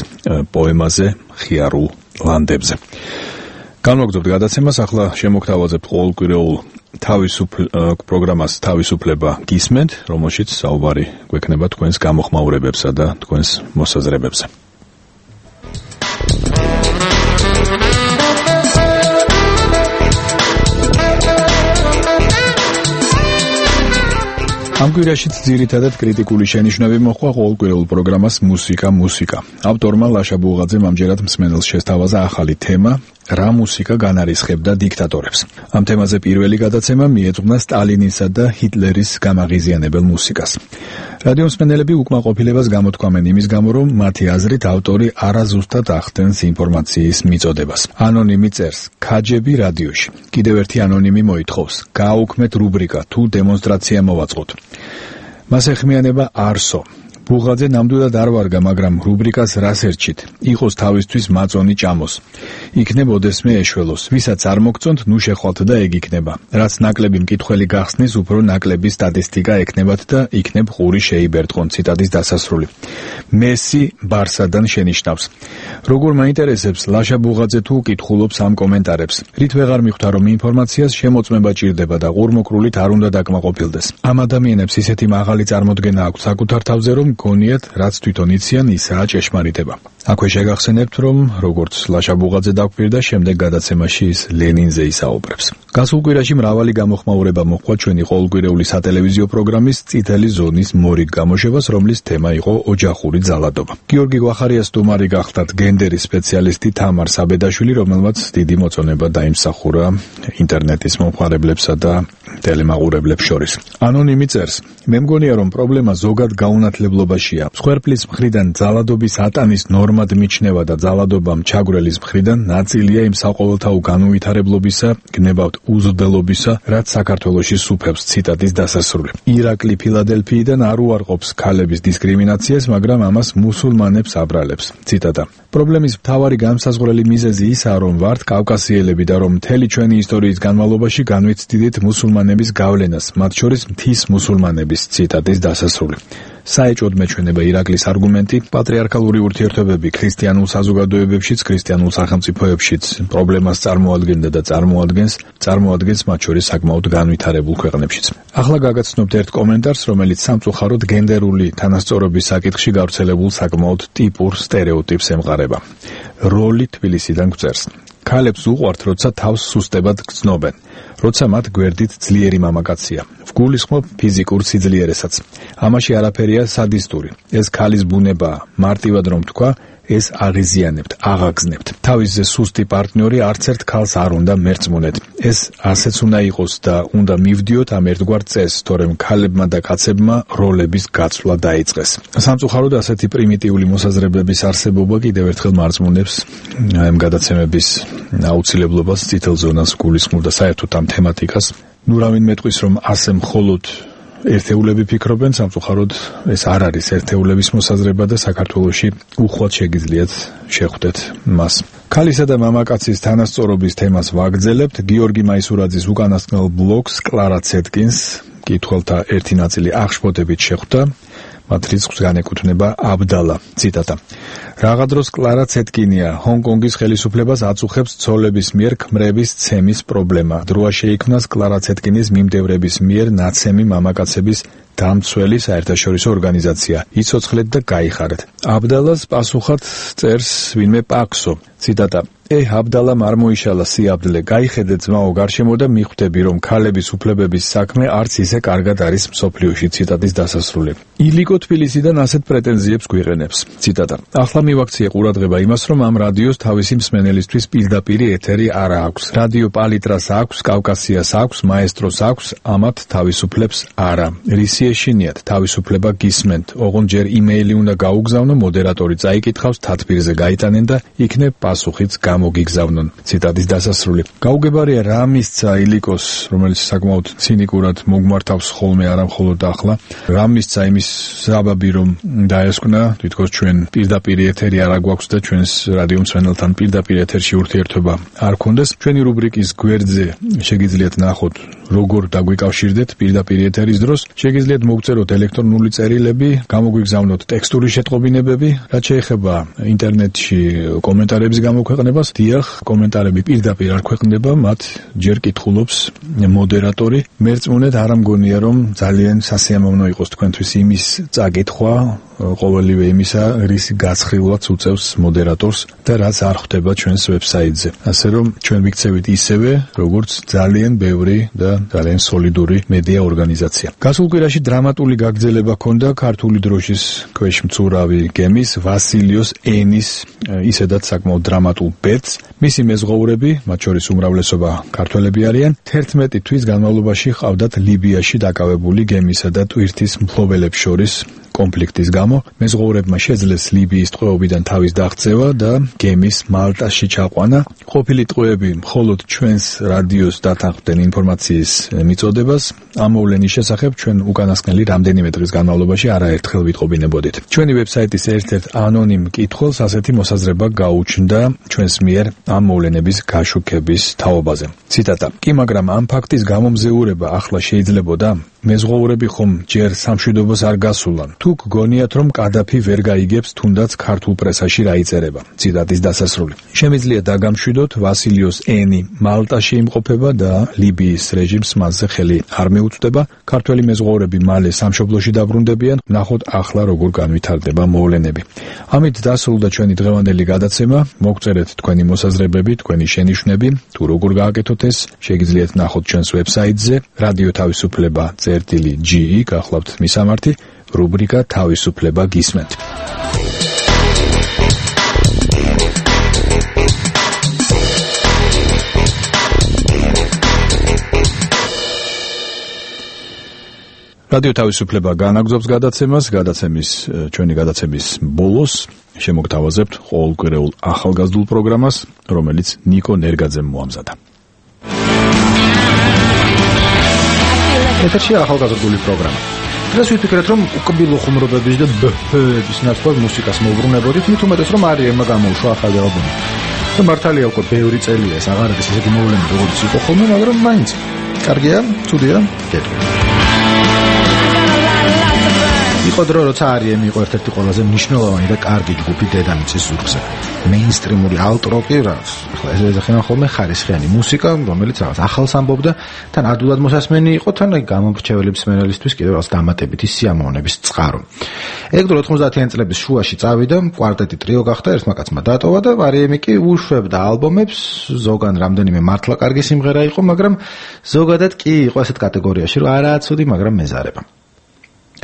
პოემაზე ხიარულ ლანდებზე. განვაგრძობთ გადაცემას, ახლა შემოგთავაზებთ ყოველკვირეულ პროგრამას თავისუფლება გისმენთ, რომელშიც საუბარი გვექნება თქვენს გამოხმაურებებსა და თქვენს მოსაზრებებზე. ამ კვირაშიც ძირითადად კრიტიკული შენიშვნები მოჰყვა ყოველკვირეულ პროგრამას მუსიკა. ავტორმა ლაშა ბუღაძემ ამჯერად მსმენელს შესთავაზა ახალი თემა, რა მუსიკა განარისხებდა დიქტატორებს. ამ თემაზე პირველი გადაცემა მიეძღვნა სტალინისა და ჰიტლერის გამაღიზიანებელ მუსიკას. რადიო მსმენელები უკმაყოფილებას გამოთქვამენ იმის გამო, რომ მათი აზრით ავტორი არაზუსტად ახდენს ინფორმაციის მიწოდებას. ანონიმი წერს: ქაჯები რადიოში. კიდევ ერთი ანონიმი მოითხოვს: გააუქმეთ რუბრიკა, თუ დემონსტრაცია მოვაწყოთ. მას ეხმიანება არსო. ბუღაძე ნამდვილად არ ვარგა, მაგრამ რუბრიკას რას ერჩით? იყოს თავისთვის მაწონი ჭამოს. იქნებოდესმე ეშველოს. ვისაც არ მოგწონთ, ნუ შეხვალთ და ეგ იქნება. რაც ნაკლები მკითხველი გახსნის, უფრო ნაკლები სტატისტიკა ექნებათ და იქნებ ყური შეიბერტყონ. ციტატის დასასრული. მესი ბარსადან შენიშნავს. როგორ მაინტერესებს ლაშა ბუღაძე თუ კითხულობს ამ კომენტარებს. რით ვეღარ მიხვდა, რომ ინფორმაციას შემოწმება ჭირდება და ყურმოყრულით არ უნდა დაკმაყოფილდეს. ამ ადამიანებს ისეთი მაღალი წარმოდგენა აქვს საკუთარ თავზე, რომ გონიათ, რაც თვითონ იციან, ისაა ჭეშმარიტება. აქვე შეგახსენებთ, რომ როგორც ლაშა ბუღაძე დაგვპირდა, შემდეგ გადაცემაში ის ლენინზე ისაუბრებს. გასულ კვირაში მრავალი გამოხმაურება მოჰყვა ჩვენი ყოველკვირეული სატელევიზიო პროგრამის წითელი ზონის მორიგ გამოშვებას, რომლის თემა იყო ოჯახური ძალადობა. გიორგი გვახარიას სტუმარი გახლდათ გენდერის სპეციალისტი თამარ საბედაშვილი, რომელმაც დიდი მოწონება დაიმსახურა ინტერნეტის მომხმარებლებსა და ტელემაყურებლებს შორის. ანონიმი წერს: მე მგონია, რომ პრობლემა ზოგად გაუნათლებლობაშია. მსხვერპლის მხრიდან ძალადობის ატანის ნორმად მიჩნევა და ძალადობამ ჩაგვრელის მხრიდან ნაწილია იმ საყოველთაო განუვითარებლობისა, გნებავთ უზრდელობისა, რაც საქართველოში სუფევს. ციტატის დასასრული. ირაკლი ფილადელფიიდან არ უარყოფს ქალების დისკრიმინაციას, მაგრამ ამას მუსულმანებს აბრალებს. ციტატა. პრობლემის მთავარი განმსაზღვრელი მიზეზი ისაა, რომ ვართ კავკასიელები და რომ მთელი ჩვენი ისტორიის განმავლობაში განვიცდიდით მუსულმანების გავლენას, მათ შორის მთის მუსულმანების. ციტატის დასასრული. საეჭვოდ მეჩვენება ირაკლის არგუმენტი, პატრიარქალური ურთიერთობები ქრისტიანულ საზოგადოებებშიც, ქრისტიანულ სახელმწიფოებშიც პრობლემას წარმოადგენდა და წარმოადგენს მათ შორის საკმაოდ განვითარებულ ქვეყნებშიც. ახლა გაგაცნობთ ერთ კომენტარს, რომელიც სამწუხაროდ გენდერული თანასწორობის საკითხში გავრცელებულ საკმაოდ ტიპურ სტერეოტიპს ემყარება. როლი თბილისიდან გვწერს. ქალებს უყვართ, როცა თავს სუსტებად გრძნობენ, როცა მათ გვერდით ძლიერი მამაკაცია. ვგულისხმობ ფიზიკურ სიძლიერესაც. ამაში არაფერია სადისტური. ეს ქალის ბუნებაა. მარტივად რომ თქვა, ეს აღიზიანებთ, აღაგზნებთ. თავისზე სუსტი პარტნიორი არც ერთ ქალს არ უნდა მერწმუნეთ. ეს ასეც უნდა იყოს და უნდა მივდიოთ ამ ერთგვარ წესს, თორემ ქალებმა და კაცებმა როლების გაცვლა დაიწყეს. სამწუხაროდ ასეთი პრიმიტიული მოსაზრებების არსებობა კიდევ ერთხელ მარწმუნებს ამ გადაცემების აუცილებლობას, წითელ ზონას გულისხმობ და საერთოდ ამ თემატიკას. ნუ რავინ მეტყვის, რომ ასე მხოლოდ ერთეულები ფიქრობენ, სამწუხაროდ ეს არ არის ერთეულების მოსაზრება და საქართველოში უხვად შეგიძლიათ შეხვდეთ მას. ქალისა და მამაკაცის თანასწორობის თემას ვაგრძელებთ. გიორგი მაისურაძის უკანასკნელ ბლოგს კლარა ცეტკინს კითხველთა ერთი ნაწილი აღშფოთებით შეხვდა. მათ რიცხვს განეკუთვნება აბდალა. ციტატა. რაღა დროს კლარა ცეტკინია ჰონკონგის ხელისუფლებას აწუხებს ცოლების მიერ ქმრების ცემის პრობლემა. დროა შეიქმნას კლარა ცეტკინის მიმდევრების მიერ ნაცემი მამაკაცების დამცველი საერთაშორისო ორგანიზაცია. იცოცხლეთ და გაიხარეთ. აბდალას პასუხად წერს ვინმე პაქსო. ციტატა. აბდალამ არ მოიშალა სიაბდლე, გაიხედე ძმაო გარშემო და მიხვდები, რომ ქალების უფლებების საქმე არც ისე კარგად არის მსოფლიოში. ციტატის დასასრული. ილიკო თბილისიდან ასეთ პრეტენზიებს გვიყენებს. ციტატა. ახლა მივაქციე ყურადღება იმას, რომ ამ რადიოს თავისი მსმენელისთვის პირდაპირი ეთერი არ აქვს. რადიო პალიტრას აქვს, კავკასიას აქვს, მაესტროს აქვს, ამათ თავისუფლებს არა. რისი ეშინიათ, თავისუფლება გისმენთ. ოღონდ ჯერ იმეილი უნდა გაუგზავნო, მოდერატორი წაიკითხავს, თათბირზე გაიტანენ და იქნებ პასუხიც გამოგიგზავნონ. ციტატის დასასრული. გაუგებარია რა მისცა ილიკოს, რომელიც საკმაოდ ცინიკურად მოგმართავს ხოლმე არა მხოლოდ ახლა. რა მისცა იმის საბაბი, რომ დაესკვნა, თითქოს ჩვენ პირდაპირ ეთერი არ აგვაქვს და ჩვენს რადიო მსმენელთან პირდაპირ ეთერში ურთიერთობა არ გქონდეს. ჩვენი რუბრიკის გვერდზე შეგიძლიათ ნახოთ, როგორ დაგვიკავშირდეთ პირდაპირ ეთერის დროს. შეგიძლიათ მოგწეროთ ელექტრონული წერილები, გამოგვიგზავნოთ ტექსტური შეტყობინებები, რაც შეეხება ინტერნეტში კომენტარების გამოქვეყნებას. დიახ, კომენტარები პირდაპირ არ ქვეყნდება, მათ ჯერ კითხულობს მოდერატორი. მერწმუნეთ, არ ამგონია, რომ ძალიან სასიამოვნო იყოს თქვენთვის იმის წაკითხვა, ყოველივე იმისა, რის გაცხრილვაც უწევს მოდერატორს და რაც არ ხვდება ჩვენს ვებსაიტზე. ასე რომ ჩვენ ვიქცევით ისევე, როგორც ძალიან ბევრი და ძალიან სოლიდური მედია ორგანიზაცია. გასულ კვირაში დრამატული გაგრძელება ჰქონდა ქართული დროშის ქვეშ მცურავი გემის ვასილიოს ენის ისედაც საკმაოდ დრამატულ ბედს. მისი მეზღვაურები, მათ შორის უმრავლესობა ქართველები არიან, 11 თვის განმავლობაში ჰყავდათ ლიბიაში დაკავებული გემისა და ტვირთის მფლობელებს შორის კონფლიქტის გამო. მეზღვაურებმა შეძლეს ლიბიის ტყვეობიდან თავის დაღწევა და გემის მალტაში ჩაყვანა. ყოფილი ტყვეები მხოლოდ ჩვენს რადიოს დათანხმდნენ ინფორმაციის მიწოდებას. ამ მოვლენის შესახებ ჩვენ უკანასკნელი რამდენიმე დღის განმავლობაში არაერთხელ ვიტყობინებოდით. ჩვენი ვებსაიტის ერთ-ერთ ანონიმ კითხველს ასეთი მოსაზრება გაუჩნდა ჩვენს მიერ ამ მოვლენების გაშუქების თაობაზე. ციტატა. კი, მაგრამ ამ ფაქტის გამომზეურება ახლა შეიძლებოდა? მეზღვაურები ხომ ჯერ სამშვიდობოს არ გასულან. თუ გგონიათ, რომ კადაფი ვერ გაიგებს თუნდაც ქართულ პრესაში რა იწერება. ციტატის დასასრული. შემიძლია დაგამშვიდოთ, ვასილიოს ენი მალტაში იმყოფება და ლიბიის რეჟიმს მასზე ხელი არ მეუწვდება. ქართველი მეზღვაურები მალე სამშობლოში დაბრუნდებიან. ნახოთ ახლა როგორ განვითარდება მოვლენები. ამით დასრულდა ჩვენი დღევანდელი გადაცემა. მოგწერეთ თქვენი მოსაზრებები, თქვენი შენიშვნები, თუ როგორ გააკეთოთ ეს, შეგიძლიათ ნახოთ ჩვენს ვებსაიტზე რადიო თავისუფლება წერტილი.ge, გახლავთ მისამართი, რუბრიკა თავისუფლება გისმენთ. რადიო თავისუფლება განაგზობს გადაცემას, ჩვენი გადაცემის ბოლოს შემოგთავაზებთ ყოველკვირეულ ახალგაზრდულ პროგრამას, რომელიც ნიკო ნერგაძემ მოამზადა. ეთერშია ახალგაზრდული პროგრამა. დღეს ვიფიქრეთ, რომ უკბილო ხუმრობების და ბჰების ნაცვლად მუსიკას მოვბრუნებოდით, მით უმეტეს, რომ არიემმა გამოუშვა ახალი ალბომი. და მართალია უკვე ბევრი წელია ეს აღარ არის ისეთი მოვლენა, როგორც იყო ხოლმე, მაგრამ მაინც კარგია, ცუდია, გეტყვი. იყო დრო, როცა R.E.M იყო ერთ-ერთი ყველაზე მნიშვნელოვანი და კარგი ჯგუფი დედამიწის ზურგზე. მეინსტრიმული ალტროკი, ახლა ეს ეძახიან ხოლმე ხარისხიანი მუსიკა, რომელიც რაღაც ახალს ამბობდა, თან ადვილად მოსასმენი იყო, თან გამომრჩეველი მსმენელისთვის კიდევ რაღაც დამატებითი სიამოვნების წყარო. ეგ დრო 90-იან წლების შუაში წავიდა, კვარტეტი ტრიო გახდა, ერთმა კაცმა დატოვა და R.E.M კი უშვებდა ალბომებს, ზოგან რამდენიმე მართლა კარგი სიმღერა იყო, მაგრამ ზოგადად კი იყო ასეთ კატეგორიაში, რომ არაა ცუდი, მაგრამ მეზარება.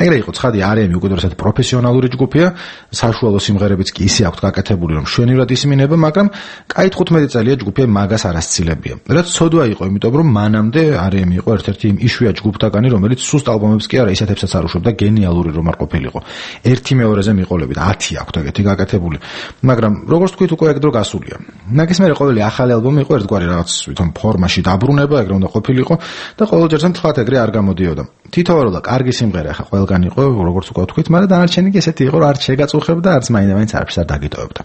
ეგრე იყო ცხადი R.E.M უკვე დროსაც პროფესიონალური ჯგუფია, საშუალო სიმღერებიც კი ისე აქვთ გაკეთებული, რომ შვენივრად ისმინება, მაგრამ კაი 15 წელია ჯგუფი მაგას არ ასცილებია. რაც ცოდვა იყო, იმიტომ რომ მანამდე R.E.M იყო ერთ-ერთი იმ იშვიათ ჯგუფთაგანი, რომელიც სუსტ ალბომებს კი არა ისეთებსაც არ უშვებდა, გენიალური რომ არ ყოფილიყო. ერთი მეორეზე მიყოლებით 10 აქვთ ეგეთი გაკეთებული, მაგრამ როგორც თქვით, უკვე ეგ დრო გასულია. მაგის მერე ყოველი ახალი ალბომი იყო ერთგვარი რაღაც თვითონ ფორმაში დაბრუნება, ეგრე უნდა ყოფილიყო და ყოველ ჯერზე მთლად ეგრე არ გამოდიოდა. თითოეულა კარგი სიმღერა ხა ყველგან იყო, როგორც უკვე ვთქვით, მაგრამ დანარჩენი კი ესეთი იყო, რომ არც შეგაწუხებდა, არც მაინც არაფერს არ დაგიტოვებდა.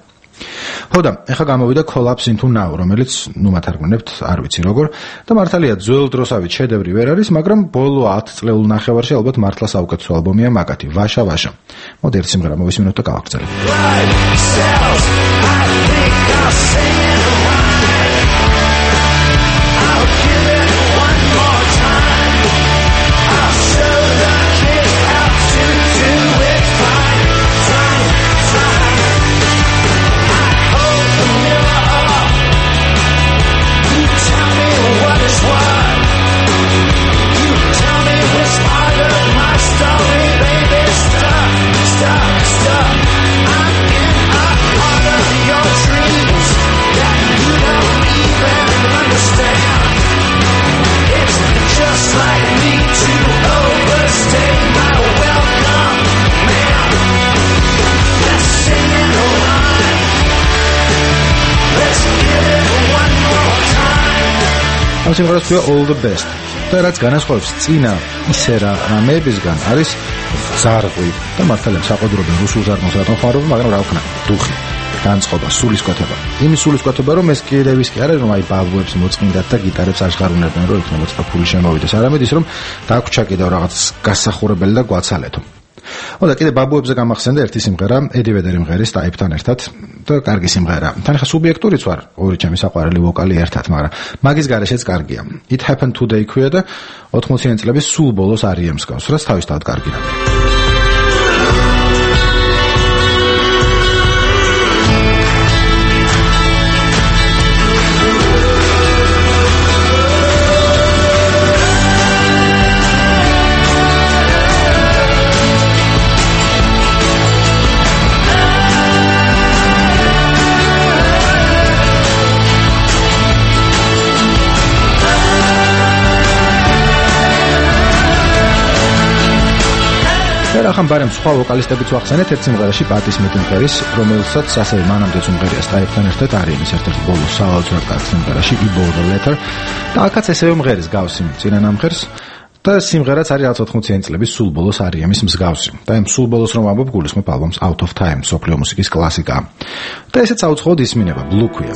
ხო და ეხლა გამოვიდა Collapse into Now, რომელიც ნუ მათარგმნებთ, არ ვიცი როგორ, და მართალია ძველ დროსავით შედევრი ვერ არის, მაგრამ ბოლო 10 წლეულ ნახევარში ალბათ მართლა საუკეთესო ალბომია მაგათი, ვაშა ვაშა. მოდი ერთ სიმღერა მოვისმინოთ და გავაგრძელებთ. ამ სიმღერას ქვია All the Best. და რაც განასხვავებს წინა ისე რამეებისგან არის ზარღვი და მართალია საყოდრობენ რუსულ ზარღვას რატომ ხარობენ, მაგრამ რა ვქნა, დუხი, განწყობა, სულისკვეთება. იმის სულისკვეთება, რომ ეს კიდევ ის კი არის, რომ აი ბაბუებს მოწყინდათ და გიტარებს აღშღარუნებენ, რომ იქნებოდა ცოტა ფული შემოვიდეს. არამედ ის, რომ დაგვჭა კიდევ რაღაც გასახურებელი და გვაცალეთო. და კიდე ბაბუებზე გამახსენდა ერთი სიმღერა, ედი ვედერი მღერის ტაიპთან ერთად და კარგი სიმღერა. თან ხა სუბიექტურიც ვარ, ორი ჩემი საყვარელი ვოკალი ერთად, მაგრამ მაგის გარეშეც კარგია. It Happened Today ქვია და 80-იან წლების სულ ბოლოს R.E.M გავს, რაც თავისთავად კარგი რამეა. ახან ბარემ სხვა ვოკალისტებიც ვახსენეთ ერთ სიმღერაში პატი სმითი მღერის, რომელსაც ასევე მანამდეც უმღერია სტაიფთან ერთად R.E.M-ის ერთ-ერთი ბოლოს სავარძურად კარგ სიმღერაში I Bought a Letter და აქაც ესევე მღერის გავს იმ წინა ნამღერს და სიმღერაც არის რაღაც 80-იან წლების სულ ბოლოს R.E.M-ის მსგავსი. და იმ სულ ბოლოს რომ ვამბობ, გულისხმობ ალბომს Out of Time, მსოფლიო მუსიკის კლასიკა. და ესეც საუცხოოდ ისმინება, Blue ქვია.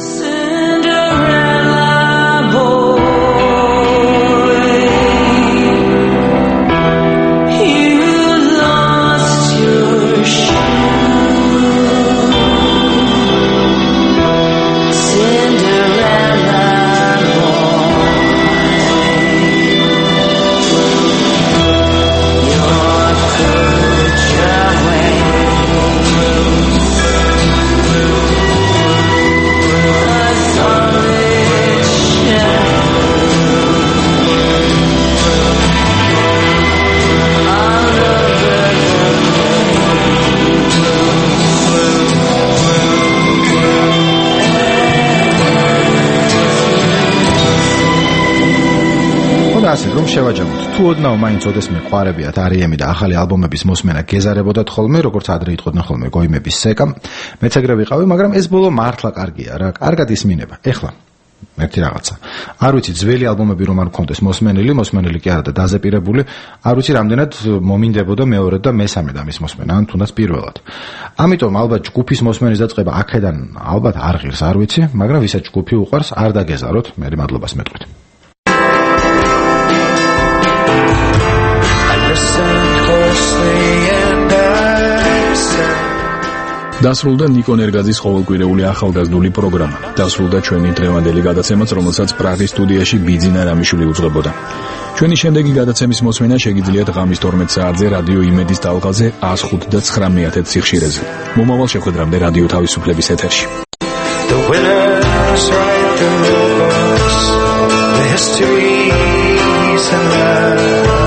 ასე რომ შევაჯამოთ. თუ ოდნავ მაინც ოდესმე ყვარებიათ R.E.M და ახალი ალბომების მოსმენა გეზარებოდათ ხოლმე, როგორც ადრე იტყოდნენ ხოლმე გოიმების სეკა, მეც ეგრე ვიყავი, მაგრამ ეს ბოლო მართლა კარგია რა, კარგად ისმინება. ეხლა ერთი რაღაცა. არ ვიცი ძველი ალბომები რომ არ მქონდეს მოსმენილი კი არა და დაზეპირებული, არ ვიცი რამდენად მომინდებოდა მეორედ და მესამედ ამის მოსმენა, ან თუნდაც პირველად. ამიტომ ალბათ ჯგუფის მოსმენის დაწყება აქედან ალბათ არ ღირს, არ ვიცი, მაგრამ ვისაც ჯგუფი უყვარს, არ დაგეზაროთ, მე მადლობას მეტყვით. Listen closely and დასრულდა ნიკო ნერგაძის ყოველკვირეული ახალგაზრდული პროგრამა. დასრულდა ჩვენი დღევანდელი გადაცემაც, რომელსაც პრაღის სტუდიაში ბიძინა რამიშვილი უძღვებოდა. ჩვენი შემდეგი გადაცემის მოსმენა შეგიძლიათ ღამის 12 საათზე რადიო იმედის ტალღაზე 105.9 სიხშირეზე. მომავალ შეხვედრამდე რადიო თავისუფლების ეთერში. The winners write the books, the histories and